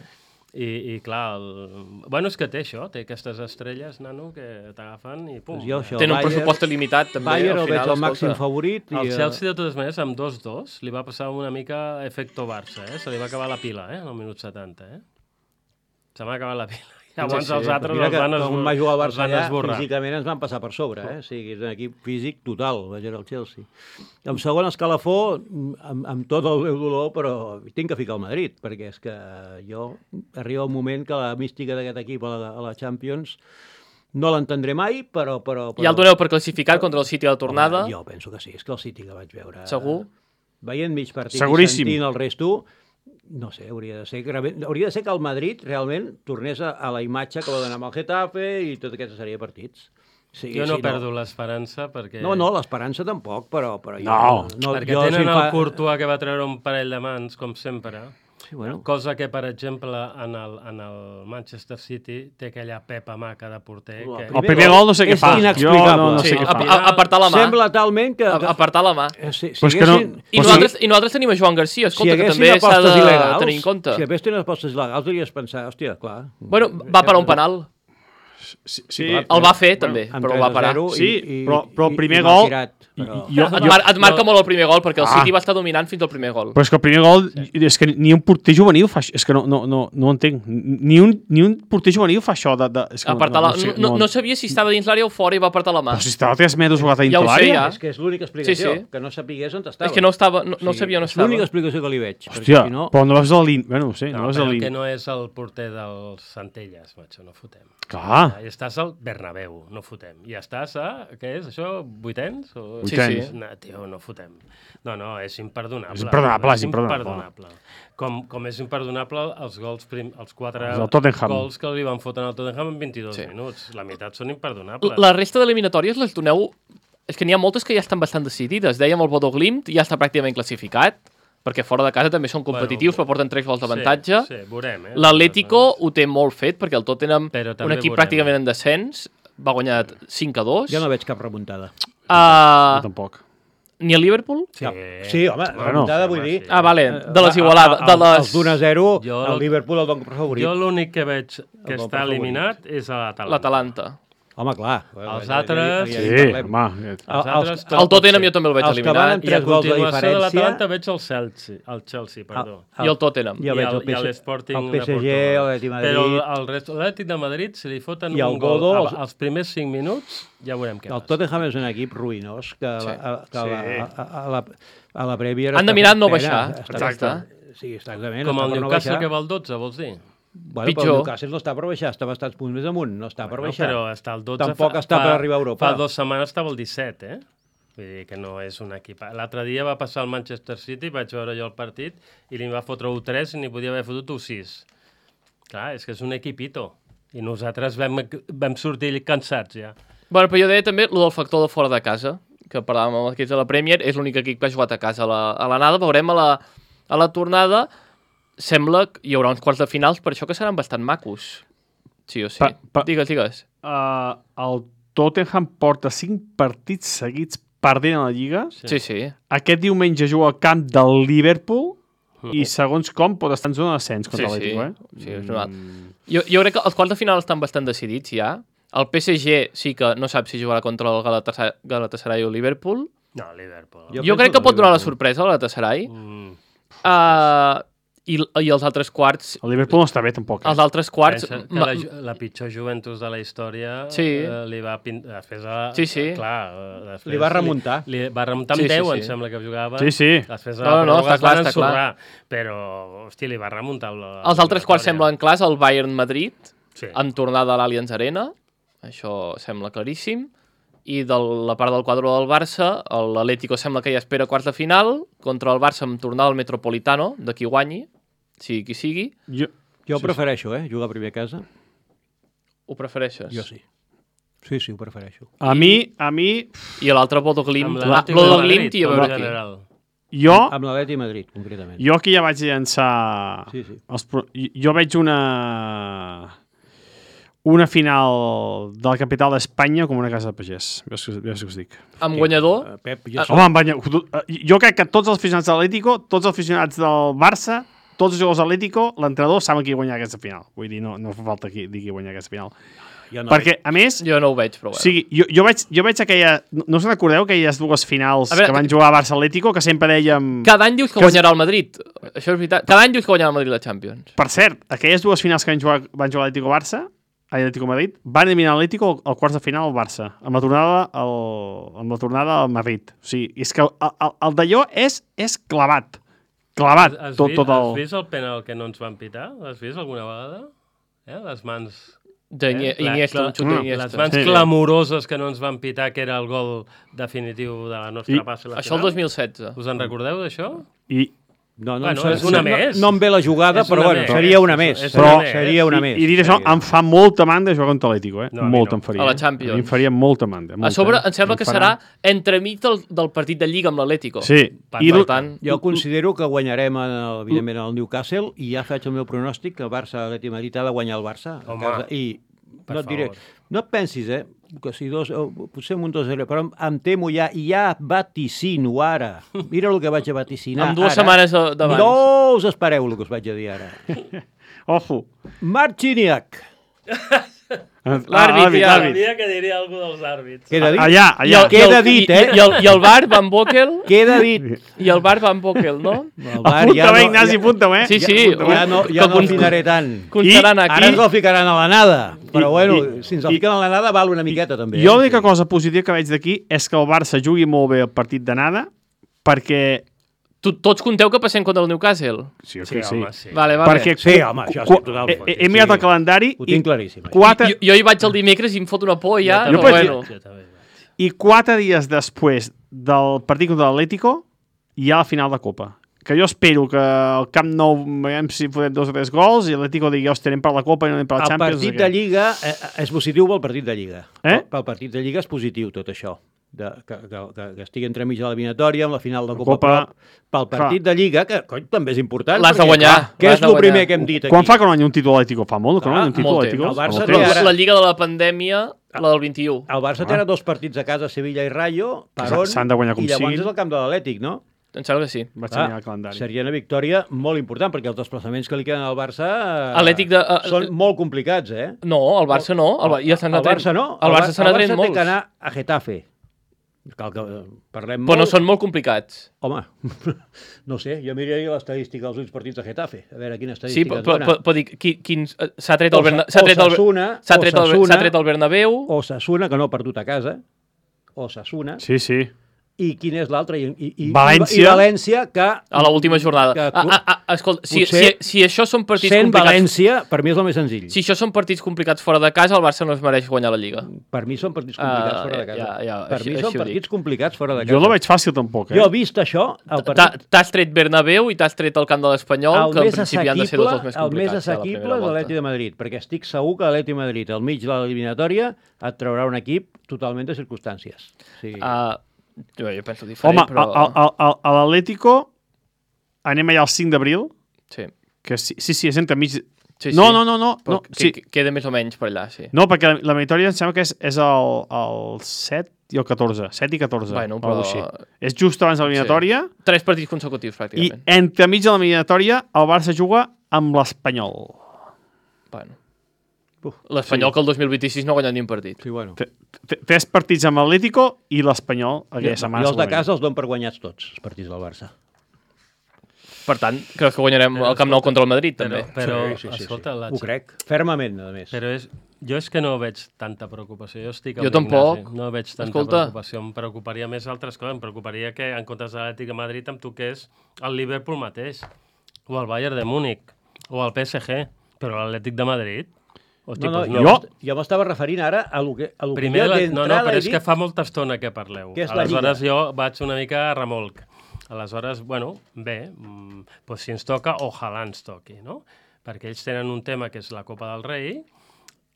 S5: i, i clar, el... bueno, és que té això, té aquestes estrelles, nano, que t'agafen i pum.
S1: Doncs jo això,
S2: Tenen un
S1: Bayern-
S2: pressupost limitat, també.
S1: Bayern
S2: al
S1: el veig
S2: final,
S1: el màxim
S2: escolta.
S1: favorit. I,
S5: El
S1: eh,
S5: Chelsea, de totes maneres, amb dos dos, li va passar una mica efecto Barça, eh? Se li va acabar la pila, eh? En el minut setanta, eh? Se m'ha acabat la pila. Llavors
S2: sí,
S5: els altres
S1: Mira
S5: els
S1: que
S5: van,
S1: quan
S5: esbor...
S1: va jugar al
S5: els
S1: Barça
S5: van
S1: allà,
S5: esborrar.
S1: físicament ens van passar per sobre, eh? O sigui, és un equip físic total, vaig veure el Chelsea. En segon escalafó, amb, amb tot el meu dolor, però tinc que ficar el Madrid, perquè és que jo arriba un moment que la mística d'aquest equip a la, a la Champions no l'entendré mai, però... però, però
S2: Ja el doneu per classificat contra el City a la tornada?
S1: Home, jo penso que sí, és que el City que vaig veure...
S2: Segur?
S1: Veient mig partit
S4: Seguríssim.
S1: i sentint el resto, no sé, hauria de ser que, hauria de ser que el Madrid realment tornés a, a la imatge que va donar amb el Getafe i tota aquesta sèrie de partits. Sí,
S5: Jo no
S1: sí,
S5: perdo l'esperança perquè...
S1: No, no, l'esperança tampoc, però... però jo,
S4: No,
S1: no
S5: perquè
S1: jo,
S5: tenen
S1: si em
S5: el
S1: fa-
S5: Courtois que va treure un parell de mans, com sempre.
S1: Sí, bueno.
S5: Cosa que, per exemple, en el, en el Manchester City té aquella pepa maca de porter.
S1: El
S5: Que...
S4: El primer gol no sé què
S1: És
S4: fa. Jo
S1: inexplicable.
S4: no, no
S2: Sí,
S4: sé què
S2: a-
S4: fa.
S2: a- apartar la mà.
S1: Sembla talment que...
S2: A- Apartar la mà.
S1: Eh, Si, si
S4: Però és que no-
S1: haguessin-
S2: I
S4: Però
S2: nosaltres, I nosaltres tenim a Joan Garcia, escolta,
S1: si
S2: que
S1: haguessin
S2: també s'ha
S1: apostes
S2: de
S1: il·legals,
S2: tenir en compte.
S1: si haguessin apostes il·legals, hauries pensar, hòstia, clar.
S2: Bueno, va parar un penal.
S4: Sí, sí.
S1: clar,
S2: El va fer, també,
S1: Amb
S2: però el va
S1: tres a
S2: parar.
S1: zero
S4: Sí,
S1: i, i,
S4: però- però el
S1: i-
S4: primer
S1: i m'ha
S4: gol-
S1: tirat, però...
S4: Jo,
S2: Et,
S4: jo,
S2: mar et marca
S5: no.
S2: molt el primer gol, perquè el
S4: Ah.
S2: City va estar dominant fins al primer gol.
S4: però és que el primer gol, és que ni un porter juvenil fa això. És que no, no, no, no ho entenc. Ni un, ni un porter juvenil fa això. De, de, és que
S2: Apartar la...
S4: sé,
S2: no, no sabia si estava dins l'àrea o fora i va apartar la mà.
S4: Però si estava a tres metres jugat a
S2: Ja
S4: dintre
S2: ho sé,
S4: l'àrea.
S2: ja.
S1: És que és l'única explicació,
S2: Sí, sí.
S1: que no sapigués on estava.
S2: És que no estava, no, no sabia on
S1: és
S2: estava.
S1: l'única explicació que li veig. perquè
S4: Hòstia,
S1: si no...
S4: però no vas a la línia. Bueno, no sé, no,
S5: No,
S4: vas a
S5: però
S4: la
S5: el que
S4: línia.
S5: no és el porter dels Centelles, macho, no fotem.
S4: Clar.
S5: I estàs al Bernabéu, no fotem. I estàs a, què és, això, vuitens? O...
S2: Sí,
S4: Vuitens.
S2: sí.
S5: No, tio, no fotem. No, no, és imperdonable.
S4: És imperdonable, és imperdonable.
S5: Com, com és imperdonable els gols prim, els quatre
S4: Els del Tottenham.
S5: gols que li van fotre al Tottenham en vint-i-dos
S2: Sí.
S5: minuts. La meitat són imperdonables.
S2: La resta d'eliminatòries les doneu... És que n'hi ha moltes que ja estan bastant decidides. Dèiem el Bodo Glimt ja està pràcticament classificat, perquè fora de casa també són competitius,
S5: Bueno,
S2: però porten tres gols d'avantatge.
S5: Sí, sí, veurem, eh?
S2: L'Atlético ho té molt fet, perquè el Tottenham,
S5: Però
S2: un
S5: també
S2: equip
S5: veurem.
S2: pràcticament en descens, va guanyar cinc a dos.
S1: Jo no veig cap remuntada.
S2: Uh,
S4: Jo tampoc.
S2: ni el Liverpool?
S5: Sí,
S1: Sí, home,
S4: Bueno,
S1: remuntada
S5: sí,
S1: vull
S5: home,
S1: dir...
S5: sí.
S2: Ah, vale,
S1: Eh,
S2: de les igualades.
S1: a-
S2: De
S1: a-
S2: les...
S1: Els d'un a zero,
S5: Jo-
S1: el Liverpool el dono per favorit.
S5: Jo l'únic que veig que
S1: El
S5: està
S1: Boca
S5: eliminat és a l'Atalanta.
S2: L'Atalanta.
S1: Home, clar.
S5: Els
S1: Ja- ja-
S5: altres-
S1: ja- ja-
S4: Sí,
S1: ja parlem.
S4: home.
S5: Els
S1: Els-
S5: altres
S1: els-
S5: tot
S2: El Tottenham
S5: pot
S2: jo també el veig
S1: Els que van
S2: eliminat.
S1: amb
S5: I a
S1: tres gols de
S5: continuació de
S1: diferència-
S5: l'Atalanta veig el Chelsea, el Chelsea, perdó.
S2: I el Tottenham.
S1: Ja
S5: I
S1: veig
S5: el,
S1: el P S G,
S5: i l'Sporting
S1: el
S5: de
S1: P S G,
S5: Portugal.
S1: l'Atlètic de Madrid.
S5: Però el rest, l'Atlètic de Madrid, si li foten
S1: I el
S5: un gol
S1: Bodo,
S5: a-
S1: els-
S5: als primers cinc minuts, ja veurem què
S1: El
S5: passa.
S1: Tottenham és un equip ruïnós que
S2: Sí.
S1: a, a, a,
S4: Sí.
S1: la, a, a, la, a la Premier...
S2: Han de
S1: està
S2: mirar
S1: fent
S2: no
S1: pena,
S2: baixar.
S1: està-
S2: Exacte.
S1: Sí, exactament.
S5: Com
S1: està
S5: el
S1: per no
S5: Newcastle
S1: baixar.
S5: que va al dotze, vols dir?
S1: Bueno,
S2: Pitjor.
S1: però el Newcastle no està per baixar, està bastants punts més amunt, no està per
S5: No,
S1: baixar.
S5: però està al dotze.
S1: Tampoc
S5: fa,
S1: està
S5: fa,
S1: per arribar a Europa.
S5: Fa dues setmanes estava al disset, eh? Vull dir que no és un equip... L'altre dia va passar al Manchester City, vaig veure jo el partit, i li va fotre u tres i n'hi podia haver fotut u sis. Clar, és que és un equipito. I nosaltres vam, vam sortir cansats, ja.
S2: Bueno, però jo deia també el del factor de fora de casa, que parlàvem amb l'equip de la Premier, és l'únic equip que ha jugat a casa a la, a l'anada. Veurem a la, a la tornada. Sembla que hi haurà uns quarts de finals, per això que seran bastant macos. Sí o sí.
S4: Pa- pa-
S2: Digues, digues.
S4: Uh, el Tottenham porta cinc partits seguits perdent a la Lliga.
S5: Sí.
S2: Sí, sí.
S4: Aquest diumenge juga al camp del Liverpool i segons com pot estar en zona d'ascens contra
S2: Sí, sí.
S4: l'Atlético, eh?
S2: Sí, és normal. Jo, jo crec que els quarts de final estan bastant decidits ja. El P S G sí que no sap si jugarà contra el Galatasaray, Galatasaray o el Liverpool.
S5: No, Liverpool.
S1: Jo
S2: Jo,
S1: penso
S2: crec que
S1: que
S2: pot donar la
S1: Liverpool.
S2: sorpresa al Galatasaray.
S5: Mm.
S2: Uh, i, I els altres quarts...
S4: El Liverpool no està bé tampoc. Eh?
S2: Els altres quarts...
S5: Pensa que
S2: ma-
S5: la, la pitjor Juventus de la història
S2: Sí.
S5: eh, li va pintar... Després, a,
S2: Sí, sí.
S5: Clar, eh, després
S1: Li va remuntar.
S5: Li, li va remuntar amb
S2: Sí, sí,
S5: deu,
S2: sí.
S5: em sembla que jugava.
S4: Sí, sí.
S5: Després
S2: No, no, no, està
S5: es
S2: clar,
S5: van
S2: està clar.
S5: ensorrar, però, hòstia, li va remuntar la...
S2: Els altres quarts semblen clars, el Bayern-Madrid,
S5: Sí.
S2: amb tornada a l'Allianz Arena, això sembla claríssim, i de la part del quadre del Barça, l'Atlético sembla que ja espera quarts de final, contra el Barça amb tornada al Metropolitano, de qui guanyi, sigui qui sigui.
S4: Jo,
S1: Jo ho
S4: Sí,
S1: prefereixo, eh, jugar a primer a casa.
S2: Ho prefereixes?
S1: Jo sí. Sí, sí, ho prefereixo.
S4: a mi, a mi,
S2: I l'altre Bodo Glimt,
S5: Amb
S2: ah,
S5: l'Atlètico de
S2: Bodo
S5: Madrid,
S2: Glimt i a
S5: com
S2: veure
S5: a
S2: qui.
S5: general.
S4: jo,
S1: Amb l'Atleti de Madrid, concretament.
S4: jo aquí ja vaig llançar...
S1: Sí, sí.
S4: Els, pro- jo jo veig una... una final de la capital d'Espanya com una casa de pagès. Veus que, veus que us dic.
S2: Amb guanyador,
S1: Eh, Pep, jo
S2: Ah,
S1: soc...
S4: Home, em banya... jo crec que tots els aficionats de l'Atlético, tots els aficionats del Barça, tots els jugadors de l'Atlético, l'entrenador saben qui guanyar aquesta final. Vull dir, no, no fa falta qui, dir qui guanyar aquesta final.
S1: jo no
S4: Perquè, a més,
S2: jo no ho veig, però
S4: o
S2: bueno.
S4: sigui, jo, jo, veig, jo veig aquella... No, no us recordeu aquelles dues finals
S2: A veure,
S4: que van jugar a Barça-Atlético, que sempre dèiem...
S2: Cada any dius que
S4: Que-
S2: guanyarà el Madrid. Això és veritat. Cada any dius que guanyarà el Madrid la Champions.
S4: Per cert, aquelles dues finals que van jugar, van jugar l'Atlético-Barça, a l'Atlético-Madrid, van eliminar l'Atlético al quarts de final al Barça, amb la tornada al, amb la tornada al Madrid. O sigui, és que el, el, el d'allò és, és clavat. Clavat,
S5: Has,
S4: tot,
S5: vist,
S4: tot el...
S5: has vist el penal que no ens van pitar? L'has vist alguna vegada? Eh? Les mans...
S2: D'Iniesta,
S5: Eh? Clar,
S2: Iniesta,
S5: clar,
S2: un xut
S4: mm,
S2: d'Iniesta.
S5: Les mans
S4: Sí.
S5: clamoroses que no ens van pitar, que era el gol definitiu de la nostra
S4: I-
S5: passa a la
S2: Això el
S5: final.
S2: dos mil setze.
S5: Us en recordeu d'això?
S4: I,
S1: No, no,
S5: Bueno,
S1: no,
S5: és una
S1: no,
S5: més.
S1: No em ve la jugada,
S5: És
S1: però
S5: una
S1: bueno,
S5: més.
S1: seria una
S5: És-
S1: més.
S5: és
S1: Però
S4: una més.
S1: seria una
S4: I,
S1: més.
S4: I dir això,
S1: seria.
S4: em fa molta mandra jugar contra l'Atlético, eh?
S5: No, a mi
S4: molta
S5: no.
S4: em faria.
S2: A la
S4: eh?
S2: Champions.
S4: A mi em faria molta mandra. Molta,
S2: A sobre,
S4: eh?
S2: em sembla
S4: Em
S2: que
S4: farà-
S2: serà entremig del, del partit de Lliga amb l'Atlético.
S4: Sí.
S2: Per,
S4: I
S2: per
S4: l-
S2: tant,
S1: Jo considero que guanyarem, en el, evidentment, el Newcastle i ja faig el meu pronòstic que el Barça, l'Atlètic de Madrid, ha de guanyar el Barça. a
S5: Home,
S1: casa, I
S5: per
S1: no et diré,
S5: favor.
S1: no et pensis, eh, que si dos, o potser un dos zero, però em, em temo ja, i ja vaticino ara. Mira el que vaig a vaticinar
S2: amb dues
S1: ara.
S2: setmanes de- d'abans.
S1: No us espereu el que us vaig a dir ara.
S4: Ojo.
S1: Marciniak.
S2: L'àrbit, ja.
S5: Sabia que diria alguna dels àrbits.
S1: Queda dit?
S4: Allà,
S2: I
S4: allà.
S2: el,
S1: Queda
S2: i el,
S1: dit,
S2: i,
S1: eh?
S2: I, el, I el bar Van Bokel,
S1: Queda dit.
S2: i el bar Van Bokel, no?
S1: El bar
S4: Apunta-ho, Ignasi, apunta-ho, eh?
S2: Sí, sí.
S1: Ja no, ja
S2: que
S1: no
S2: con-
S1: el ficaré tant.
S2: Constaran
S1: Ara
S2: aquí.
S1: ens el ficaran a la nada. Però
S4: I-
S1: bueno,
S4: i-
S1: si ens el
S4: i-
S1: fiquen a la nada val una miqueta també.
S4: Jo
S1: eh?
S4: l'única cosa positiva que veig d'aquí és que el Barça jugui molt bé el partit d'anada, perquè...
S2: Tu, tots conteu que passem contra el Newcastle.
S4: Sí,
S5: Sí, home, sí.
S2: Vale, vale.
S4: Perquè
S1: Sí, home, això sí,
S4: qu-
S1: total,
S4: he,
S1: sí,
S4: he mirat
S1: sí.
S4: el calendari
S1: Ho
S4: i
S1: tinc claríssim. eh?
S4: quatre,
S2: Jo, jo hi vaig el dimecres i em fot una por ja,
S4: Jo
S2: però
S4: vaig-
S2: bueno.
S5: Jo també vaig.
S4: i quatre dies després del partit contra l'Atlético hi ha la final de Copa. Que jo espero que al Camp Nou veiem si podem dos o tres gols i l'Atlético digui, hòstia, anem per la Copa i no anem per la
S1: El
S4: Champions.
S1: partit
S4: no sé
S1: de
S4: què.
S1: Lliga eh, és positiu pel partit de Lliga.
S4: Eh?
S1: Pel partit de Lliga és positiu tot això. De, que, que, que, que estigui entremig de l'eliminatòria, amb la final de Copa,
S4: Copa,
S1: Copa pel partit de Lliga, que cony, també és important.
S2: L'has de
S1: perquè,
S2: guanyar,
S1: clar, Què
S2: l'has
S1: és
S2: de
S1: el
S2: guanyar.
S1: primer que hem dit aquí?
S4: Quan fa que no guanya un títol l'Atlético? Fa molt que no
S1: Clar,
S4: guanya un títol
S2: molt
S4: l'Atlético?
S1: temps. El Barça
S4: Molt
S1: té
S4: temps.
S1: ara-
S2: La Lliga de la Pandèmia, la del vint-i-u.
S1: El Barça té ara dos partits a casa, Sevilla i Rayo, per
S4: Que
S1: on,
S4: s'han de guanyar com
S1: i llavors
S4: siguin.
S1: és el camp de l'Atlètic, no?
S2: Em sembla que sí.
S4: Vaig
S1: Clar,
S4: mirar el calendari.
S1: seria una victòria molt important, perquè els desplaçaments que li queden al Barça eh,
S2: Atlètic de- eh,
S1: són molt complicats, eh?
S2: No, el Barça no. El, Ba- ja s'han
S1: el
S2: anat
S1: Barça no.
S2: El Barça s'han
S1: el
S2: anat
S1: Barça té
S2: molts.
S1: que anar a Getafe. Cal que eh, parlem
S2: Però
S1: molt.
S2: no són molt complicats.
S1: Home, no sé, jo miraria l'estadística dels últims partits de Getafe, a veure quina
S2: Sí,
S1: estadística
S2: però,
S1: ens
S2: però,
S1: dona.
S2: però dic, qui- quins... eh, S'ha tret el
S1: Osa-
S2: Berna- s'ha tret el
S1: Osasuna,
S2: s'ha tret el
S1: Osasuna.
S2: s'ha tret el Bernabéu.
S1: O Sassuna, que no ha perdut a casa, o Sassuna,
S4: Sí, sí.
S1: i quin és l'altre? I, i, i,
S4: València.
S1: I València, que...
S2: A l'última jornada.
S1: Que,
S2: Ah, ah, ah, escolta, si, si,
S1: potser
S2: si això són partits
S1: sent
S2: complicats...
S1: València, per mi és el més senzill.
S2: Si això són partits complicats fora de casa, el Barça no es mereix guanyar la Lliga.
S1: Per mi són partits complicats
S2: Ah,
S1: fora de casa.
S2: ja, ja,
S1: per
S2: així-
S1: mi
S2: així
S1: són
S2: ho
S1: partits
S2: dic.
S1: complicats fora de casa.
S4: Jo no veig fàcil tampoc, eh?
S1: Jo, vist això, el
S2: T'ha-
S1: partit...
S2: T'has tret Bernabéu i t'has tret el camp de l'Espanyol,
S1: El
S2: que en
S1: més
S2: principi han de ser dos dels més
S1: assequible, el més
S2: complicats. de la
S1: assequible
S2: primera
S1: és
S2: volta.
S1: l'Atleti de Madrid, perquè estic segur que l'Atleti de Madrid, al mig de l'eliminatòria, et traurà un equip totalment de circumstàncies. O sigui,
S2: Ah, jo, jo penso diferent,
S4: Home,
S2: però...
S4: a, a, a, a l'Atlético anem allà el cinc d'abril,
S2: Sí,
S4: que sí, sí, sí, és entremig...
S2: sí,
S4: no,
S2: sí.
S4: no, no, no,
S2: Però
S4: no,
S2: que,
S4: sí.
S2: que queda més o menys per allà, sí.
S4: No, perquè la, la eliminatòria em sembla que és, és el, el set i el catorze. set i catorze.
S2: Bueno,
S4: o
S2: però-
S4: alguna cosa així. És just abans de l'eliminatòria
S2: Tres partits consecutius,
S4: i
S2: pràcticament.
S4: entremig de l'eliminatòria el Barça juga amb l'Espanyol.
S2: Bueno.
S1: Uf,
S2: L'Espanyol que el dos mil vint-i-sis no ha guanyat ni un partit.
S1: sí, bueno.
S4: T- t- Tres partits amb l'Atlético i l'Espanyol aquella
S1: Jo,
S4: setmana.
S1: jo els de
S4: segurament.
S1: casa els dono per guanyats tots, els partits del Barça.
S2: Per tant, crec que guanyarem
S5: Però,
S2: el Camp Nou
S5: escolta,
S2: contra el Madrid,
S5: Però,
S2: també.
S5: però
S1: sí, sí, sí,
S5: escolta,
S1: sí.
S5: la
S1: Ho crec, fermament, a més.
S5: Però és, jo és que no veig tanta preocupació. Jo estic amb
S2: Jo tampoc.
S5: l'Ignasi. No veig tanta
S2: Escolta.
S5: preocupació. Em preocuparia més altres coses. Em preocuparia que en comptes de l'Atlètic de Madrid em toqués el Liverpool mateix, o el Bayern de Múnich, o el P S G. Però l'Atlètic de Madrid... Hosti,
S1: No, no,
S5: doncs
S1: jo,
S4: jo-
S1: m'est- jo m'estava referint ara a lo que, a lo
S5: Primer,
S1: que
S5: la,
S1: jo
S5: no, no,
S1: d'entrada
S5: però
S1: he
S5: és
S1: dit.
S5: que fa molta estona que parleu.
S1: Què és la
S5: Aleshores jo vaig una mica a remolc. Aleshores, bueno, bé, mm, doncs si ens toca, ojalà ens toqui, no? Perquè ells tenen un tema que és la Copa del Rei,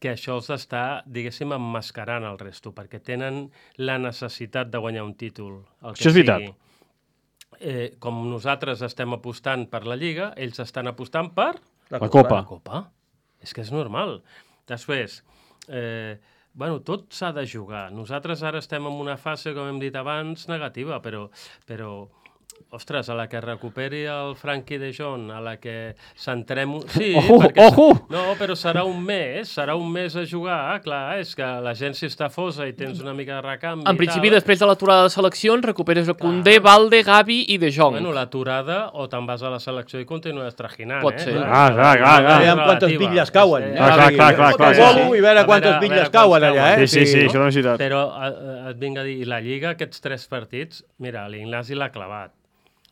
S5: que això els està, diguéssim, emmascarant el resto, perquè tenen la necessitat de guanyar un títol. El que
S4: Això és veritat.
S5: sigui. Eh, com nosaltres estem apostant per la Lliga, ells estan apostant per
S4: La Copa.
S5: la Copa. És que és normal. Després, eh, bueno, tot s'ha de jugar. Nosaltres ara estem en una fase, com hem dit abans, negativa, però, però ostres, a la que recuperi el Frankie de Jong, a la que centrem... Sí,
S4: Ojo,
S5: perquè...
S4: ojo!
S5: No, però serà un mes, serà un mes a jugar, clar, és que la gent si està fosa i tens una mica de recanvi
S2: En
S5: i
S2: principi,
S5: tal,
S2: després de l'aturada de seleccions, recuperes a Koundé, Valde, Gavi i De Jong.
S5: Bueno, l'aturada, o te'n vas a la selecció i continues trajinant,
S2: Pot
S5: eh?
S2: ser.
S4: Ah, clar, clar, clar.
S1: Aviam quantes
S5: Relativa.
S1: bitlles cauen.
S5: És, eh,
S4: Ah, clar, clar, clar, clar, sí,
S1: Bolo
S4: sí.
S1: I veure
S5: A
S1: quantes
S5: veure, a
S1: bitlles
S5: veure
S1: cauen
S5: quants
S1: allà, eh?
S4: Sí, sí, sí, això és veritat.
S5: Però eh, et vinc a dir, i la Lliga, aquests tres partits, mira, l'Ignasi l'ha clavat.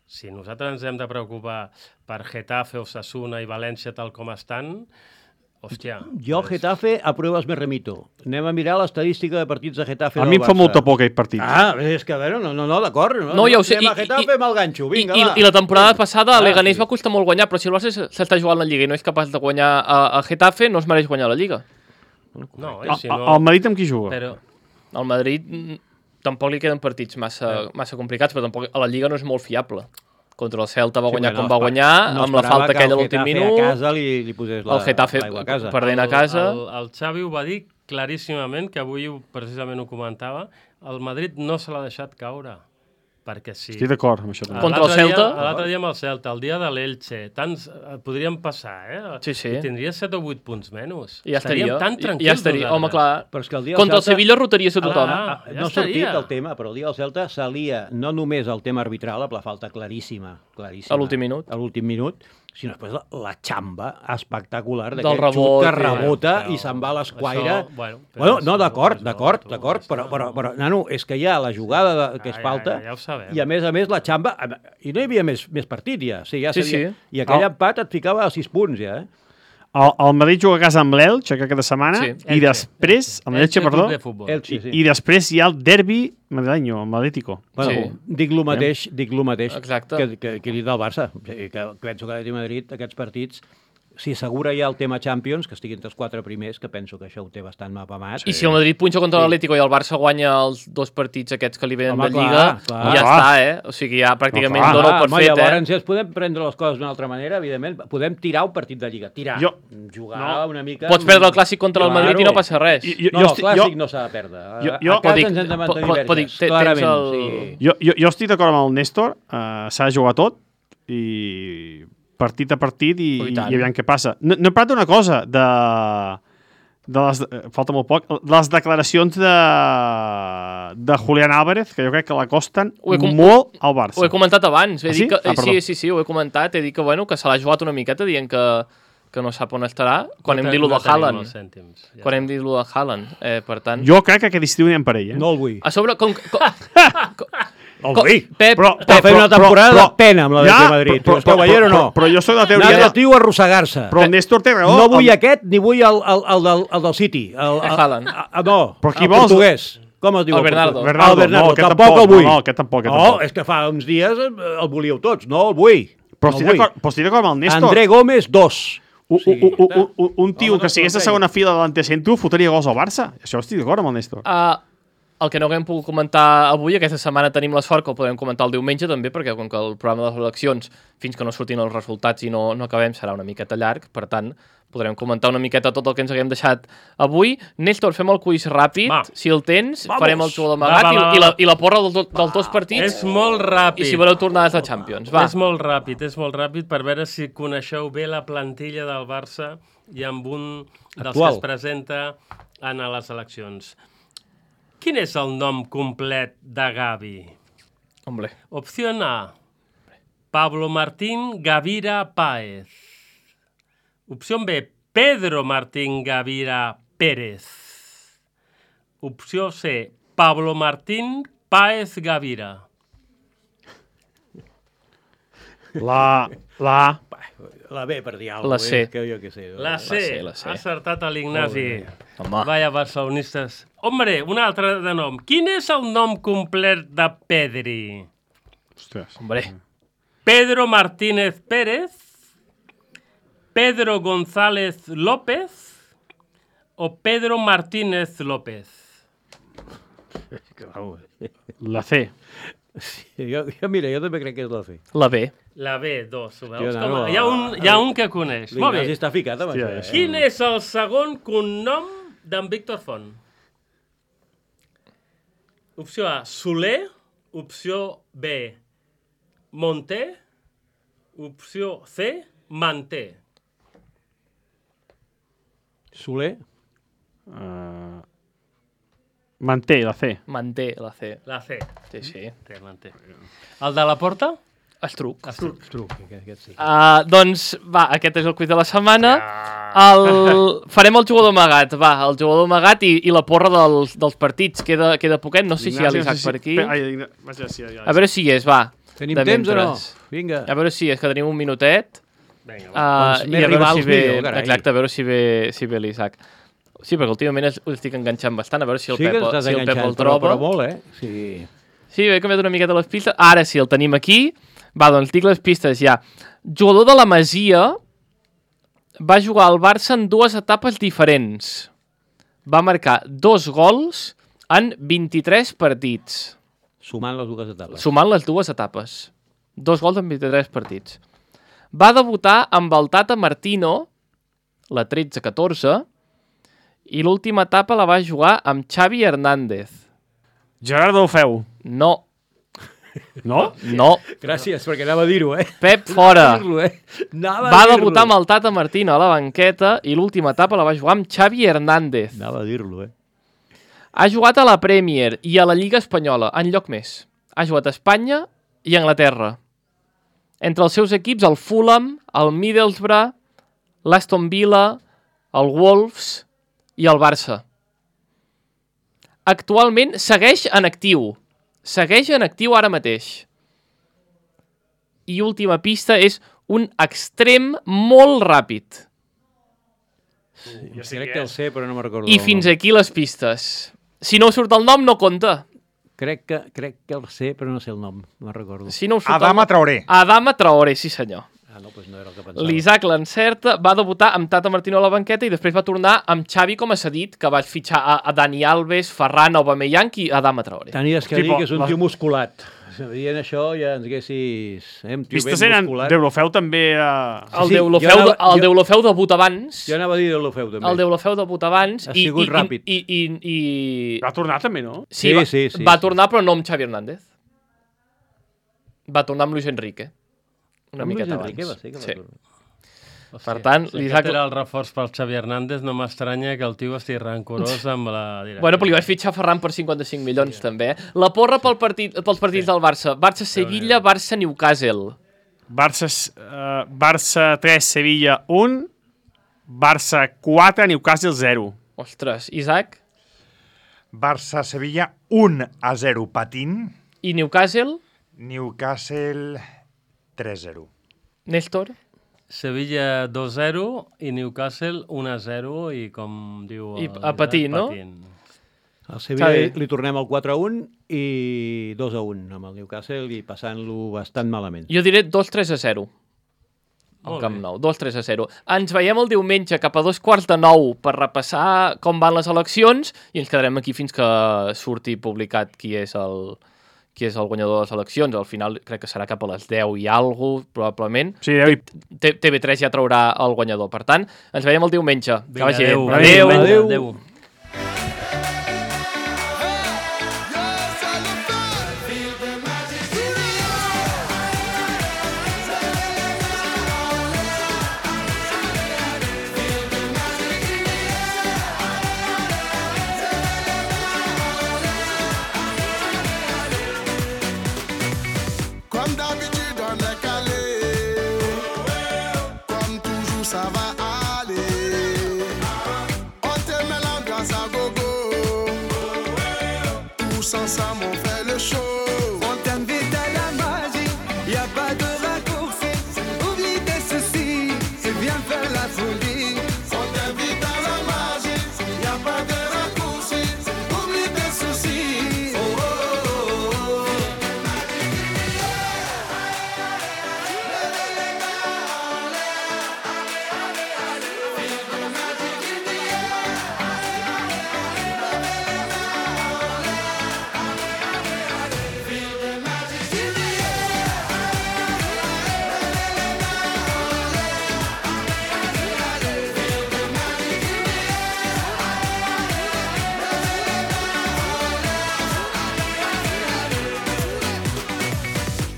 S5: Si nosaltres ens hem de preocupar per Getafe, Osasuna i València tal com estan, hòstia...
S1: Jo, Getafe, a pruebes me remito. Anem a mirar l'estadística de partits de Getafe
S4: A
S1: del
S4: mi em fa
S1: Barça.
S4: molta por aquest partit.
S1: Ah, és que, a veure, no, no, no d'acord. No,
S2: No, ja ho sé.
S1: Anem a
S2: I-
S1: Getafe,
S2: i-
S1: me'l ganxo, vinga,
S2: I,
S1: va.
S2: I la temporada passada a
S1: Ah,
S2: Leganés
S1: sí.
S2: va costar molt guanyar, però si el Barça s'està jugant la Lliga i no és capaç de guanyar a, a Getafe, no es mereix guanyar la Lliga.
S5: No, eh,
S4: El,
S5: si no...
S4: el Madrid amb qui juga?
S5: Però,
S2: Al Madrid mm, tampoc li queden partits massa, massa complicats, però tampoc a la Lliga no és molt fiable. Contra el Celta va guanyar
S1: Sí,
S2: com
S1: bueno,
S2: va guanyar,
S1: no
S2: amb la
S1: esperava
S2: falta
S1: que
S2: aquella a
S1: el
S2: l'últim
S1: Getafe
S2: minut.
S1: a casa li, li posés la,
S2: El Getafe
S1: l'aigua a casa.
S2: perdent a casa.
S5: El, el Xavi ho va dir claríssimament, que avui ho- precisament ho comentava, el Madrid no se l'ha deixat caure. Perquè sí.
S4: Estic d'acord amb això. també.
S2: Contra el
S5: L'altre dia-
S2: Celta?
S5: L'altre dia amb el Celta, el dia de l'Elche, tants eh, podrien passar, eh?
S2: Sí, sí.
S5: I tindria set o vuit punts menys.
S2: I ja estaria.
S5: tan
S2: I-
S5: tranquils
S2: ja estaria. Home, clar.
S1: Però és que el dia
S2: Contra el
S1: Celta-
S2: Sevilla rotaries a tothom.
S5: Ah,
S1: Ah,
S5: ja
S1: no ha sortit
S5: estaria.
S1: el tema, però el dia del Celta s'alia no només el tema arbitral, amb la falta claríssima, claríssima
S2: A l'últim minut.
S1: a l'últim minut, sinó després la, la xamba espectacular
S2: Del
S1: d'aquest
S2: rebot,
S1: xut que
S2: sí.
S1: rebota
S5: Però
S1: i se'n va a l'esquaire.
S5: això, bueno, però
S1: Bueno,
S5: això-
S1: no, d'acord,
S5: això-
S1: d'acord,
S5: tu-
S1: d'acord,
S5: això-
S1: però, però, però, nano, és que hi ha la jugada de, que és
S5: Ja, ja,
S1: falta
S5: ja, ja ho sabem.
S1: i a més a més la xamba, i no hi havia més, més partit ja, sí, ja
S2: Sí,
S1: sabia,
S2: sí.
S1: i aquell
S4: Oh.
S1: empat et ficava a sis punts ja, eh?
S4: El, el Madrid juga a casa amb l'Elx aquesta setmana
S2: Sí.
S4: i després, amb l'Elche,
S5: Elche
S4: perdó,
S5: Club de Futbol.
S1: Elche, sí.
S4: i després hi ha el derbi madrilenyo, amb l'Atlético.
S1: Bueno,
S2: Sí.
S1: dic lo mateix, dic lo mateix
S2: Exacte.
S1: que, que, que he dit del Barça. O sigui, que penso que l'Atlètic de Madrid, aquests partits, si assegura ja el tema Champions, que estigui entre els quatre primers, que penso que això ho té bastant mapamat.
S2: I si el Madrid punxa contra l'Atlético i el Barça guanya els dos partits aquests que li venen
S1: Home,
S2: de
S1: clar,
S2: Lliga,
S1: clar.
S2: ja
S4: Clar.
S2: està, eh? O sigui, ja pràcticament
S4: No, clar.
S2: dona per
S1: home,
S2: fet,
S1: llavors,
S2: eh?
S1: si es podem prendre les coses d'una altra manera, evidentment, podem tirar un partit de Lliga. Tirar.
S4: Jo-
S1: Jugar
S4: no.
S1: una mica...
S2: Pots perdre el clàssic contra el Madrid i no passa res.
S4: I- jo-
S1: No, el
S4: estic-
S1: clàssic
S4: jo-
S1: no s'ha de perdre. A,
S4: jo-
S1: a
S4: jo-
S1: casa
S2: Dic,
S1: ens hem de mantenir
S2: po- po-
S1: verges,
S2: dic, te-
S1: clarament.
S2: tens el-
S1: Sí.
S4: Jo, jo, jo estic d'acord amb el Néstor, uh, s'ha de jugar tot i partit a partit i,
S2: Oh, i
S4: i,
S2: tant.
S4: i aviam què passa. No, no he parlat d'una cosa, de, de les, eh, falta molt poc, de les declaracions de, de Julián Álvarez, que jo crec que l'acosten
S2: Ho he com-
S4: molt al Barça.
S2: Ho he comentat abans. He
S4: Ah,
S2: dit
S4: sí?
S2: que,
S4: Ah, perdó.
S2: sí, sí, sí, ho he comentat. He dit que, bueno, que se l'ha jugat una miqueta dient que, que no sap on estarà. Quan
S5: No
S2: hem
S5: te-
S2: dit lo
S5: no
S2: de
S5: tenim
S2: Haaland.
S5: els cèntims, ja
S2: Quan
S5: està.
S2: hem dit lo de Haaland. Eh, per tant...
S4: Jo crec que aquest estiu anem per ell, eh?
S1: No el vull.
S2: A sobre, com... com
S1: El
S2: com
S1: vull.
S2: Pep,
S4: Però-
S1: Està
S2: Pep,
S1: fent una temporada
S4: però-
S1: de pena amb la
S4: Ja,
S1: de Madrid.
S4: però-
S1: Però, esteu
S4: però-
S1: veient o no?
S4: però- però jo soc de la
S1: Anar
S4: teoria
S1: de
S4: de-
S1: tio a arrossegar-se.
S4: Però el Néstor té raó.
S1: No vull
S4: el,
S1: aquest, ni vull el, el, el, del, el del City. El, el,
S2: Haaland.
S1: a- a- no,
S4: Però qui
S1: el
S4: vols?
S1: portuguès. Com es diu?
S2: El Bernardo.
S1: portuguès?
S4: Bernardo,
S1: el Bernardo,
S4: no, aquest
S1: tampoc,
S4: tampoc,
S1: el vull.
S4: no, no, aquest tampoc, aquest
S1: no,
S4: tampoc.
S1: és que fa uns dies eh, el volíeu tots. No, el vull.
S4: Però
S1: no
S4: estic
S1: el vull.
S4: d'acord però estic d'acord amb el Néstor.
S1: André Gómez, dos.
S4: Un,
S1: Sí,
S4: un, un, un, un, un tio
S1: Home,
S4: que
S1: no
S4: sigués a
S1: t'ho
S4: segona fila de l'antecentro fotria gols al Barça. Això estic d'acord amb el Néstor.
S2: Uh, el que no haguem pogut comentar avui, aquesta setmana tenim la sort que ho podem comentar el diumenge també, perquè com que el programa de les eleccions, fins que no surtin els resultats i no, no acabem, serà una miqueta llarg, per tant, podrem comentar una miqueta tot el que ens haguem deixat avui. Néstor, fem el quiz ràpid,
S5: Va.
S2: si el tens,
S1: Vamos.
S2: farem el jugador d'amagat
S5: Va, va, va,
S2: i, i, la,
S5: va.
S2: i la porra del, dels dos partits,
S5: És molt ràpid.
S2: i si voleu tornades de Champions. Va.
S5: És molt ràpid, és molt ràpid per veure si coneixeu bé la plantilla del Barça i amb un dels
S1: Actual.
S5: que es presenta en a les eleccions. Quin és el nom complet de Gavi?
S2: Hombre.
S5: Opció A. Pablo Martín Gavira Páez. Opció B. Pedro Martín Gavira Pérez. Opció C. Pablo Martín Páez Gavira.
S4: La... La...
S1: La B, per dir
S2: La
S1: alguna
S2: C.
S1: cosa. Que jo què sé.
S5: La C.
S2: C, la C.
S5: Ha acertat a l'Ignasi.
S2: Home.
S5: Vaya barcelonistes. Hombre, un altre de nom. Quin és el nom complet de Pedri?
S4: Ostres.
S2: Hombre.
S5: Pedro Martínez Pérez, Pedro González López o Pedro Martínez López?
S4: La C.
S1: Sí, jo, jo, mira, jo també crec que és la C.
S2: La B.
S5: La B, dos, ho veus?
S1: Tio,
S5: Com,
S1: no,
S5: hi, ha un, hi ha un que coneix. Molt
S1: L'Ignasi
S5: bé.
S1: està ficat amb
S4: Hòstia,
S1: això. Eh?
S5: Quin és el segon cognom d'en Víctor Font? Opció A, Soler. Opció B, Monté. Opció C, Manté.
S1: Soler?
S4: Uh, manté, la C.
S2: Manté la C.
S5: La C.
S2: Sí, sí.
S5: Té, manté. El de la porta?
S2: Estruc.
S5: Estruc.
S1: Truc, aquest, aquest sí.
S2: Uh, doncs, va, aquest és el quiz de la setmana. El... Farem el jugador amagat, va, el jugador amagat i, i la porra dels, dels partits. Queda, queda poquet, no sé si hi ha
S4: Ignasi, no
S2: l'Isaac
S4: sé
S2: per aquí.
S4: Ai, Igna- vaja, sí, ja, ja.
S2: A veure si hi és, va.
S1: Tenim
S2: de
S1: temps o no?
S2: mentres.
S1: Vinga.
S2: A veure si és que tenim un minutet.
S5: Vinga, va.
S2: Uh,
S1: Quants
S2: I
S1: més
S2: a veure
S1: rivals
S2: si ve,
S1: millor, carai.
S2: exacte, a veure si ve, si ve l'Isaac. Sí, perquè últimament es- ho estic enganxant bastant, a veure si el
S1: Sí que
S2: Pep,
S1: estàs
S2: si el Pep
S1: enganxant,
S2: el
S1: però,
S2: troba.
S1: però molt, eh? Sí.
S2: Sí, he canviat una miqueta les pistes. Ara sí, el tenim aquí. Va, doncs dic les pistes ja. Jugador de la Masia, va jugar al Barça en dues etapes diferents. Va marcar dos gols en vint-i-tres partits,
S1: Sumant les dues etapes.
S2: sumant les dues etapes. Dos gols en vint-i-tres partits. Va debutar amb el Tata Martino, la tretze catorze, i l'última etapa la va jugar amb Xavi Hernández.
S4: Gerardo Feu.
S2: No,
S4: No?
S2: no.
S1: Gràcies, perquè anava a dir-ho, eh?
S2: Pep fora.
S1: Anava a dir-lo, eh? Anava a
S2: Va
S1: dir-lo.
S2: debutar amb el Tata Martino a la banqueta i l'última etapa la va jugar amb Xavi Hernández.
S1: Anava a dir-lo, eh?
S2: Ha jugat a la Premier i a la Lliga Espanyola, enlloc més. Ha jugat a Espanya i a Anglaterra. Entre els seus equips, el Fulham, el Middlesbrough, l'Aston Villa, el Wolves i el Barça. Actualment segueix en actiu. Segueix en actiu ara mateix. I última pista és un extrem molt ràpid.
S1: Jo sé crec que el sé, però no me'n recordo.
S2: I
S1: el
S2: fins
S1: nom.
S2: aquí les pistes. Si no us surt el nom, no compta.
S1: Crec que, crec que el sé, però no sé el nom. No me'n recordo.
S2: Si no us surt
S6: Adama
S2: el nom...
S6: Traoré.
S2: Adama Traoré, sí senyor.
S1: Ah, no, doncs no era el que pensava.
S2: L'Isaac l'encerta, va debutar amb Tata Martino a la banqueta i després va tornar amb Xavi com a cedit, que va fitxar a, a Dani Alves, Ferran, Aubameyang i Adama Traoré.
S1: Tenies que dir
S4: Tipo,
S1: que és un
S4: la-
S1: tio musculat. Dient això ja ens haguessis... Eh, un tio
S4: Pistes
S1: ben
S4: eren...
S1: musculat.
S4: Deulofeu també era...
S2: El
S1: sí,
S2: Deulofeu,
S1: jo anava-
S2: el
S1: jo-
S2: Deulofeu debut abans,
S1: Jo anava a dir Deulofeu, també.
S2: el Deulofeu debut abans
S1: Ha
S2: i,
S1: sigut
S2: i,
S1: ràpid.
S2: i, i, i,
S4: Va tornar també, no?
S2: sí,
S1: Sí,
S2: va,
S1: sí, sí,
S2: va
S1: sí.
S2: tornar però no amb Xavi Hernández. Va tornar amb Luis Enrique. Una
S1: Amb Luis
S2: miqueta
S1: Enrique
S2: abans.
S1: va ser que va
S2: Sí.
S1: tornar.
S2: Per tant,
S5: si
S2: l'Isaac...
S5: aquest era el reforç pel Xavi Hernández, no m'estranya que el tio estigui rancorós amb la direcció.
S2: Bueno, però li vaig fitxar Ferran per cinquanta-cinc milions, sí, també. Eh? La porra pel partit, pels partits sí. del Barça. Barça-Sevilla, Barça-Newcastle.
S4: Barça, uh, Barça tres, Sevilla un, Barça quatre, Newcastle zero.
S2: Ostres, Isaac?
S6: Barça-Sevilla un a zero patint.
S2: I Newcastle?
S6: Newcastle tres a zero.
S2: Néstor?
S5: Sevilla dos a zero i Newcastle un a zero i com diu...
S2: I
S5: el
S2: a patir,
S5: Isaac,
S2: no?
S5: patint.
S1: Al Sevilla
S2: Està
S1: li,
S2: bé.
S1: li tornem el quatre a un i dos a un amb el Newcastle i passant-lo bastant malament.
S2: Jo diré dos tres a zero. Al
S5: Molt
S2: Camp
S5: bé.
S2: Nou, dos tres a zero. Ens veiem el diumenge cap a dos quarts de nou per repassar com van les eleccions i ens quedarem aquí fins que surti publicat qui és el, qui és el guanyador de les eleccions. Al final crec que serà cap a les deu i alguna cosa, probablement.
S4: Sí, deu i...
S2: T- T V tres ja traurà el guanyador. Per tant, ens veiem el diumenge. Que
S5: Vinga,
S2: vagi bé.
S5: adéu.
S2: Adéu.
S5: Adéu. adéu.
S7: Comme d'habitude, on est calé. Comme toujours, ça va aller. On te met l'ambiance à gogo. Tous ensemble, on fait le show.
S8: On t'invite à la magie, y a pas de raccourci. Oublie tes soucis et viens faire la folie.
S7: On t'invite à la magie, y a pas de raccourci. Oublie tes soucis. Oh, oh, oh, oh.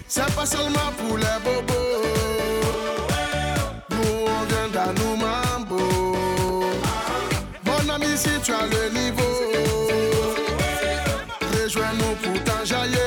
S7: C'est pas seulement pour les bobos. Nous on vient d'Anou Mambo. Mon ami, si tu as le niveau, rejoins-nous pour t'enjailler.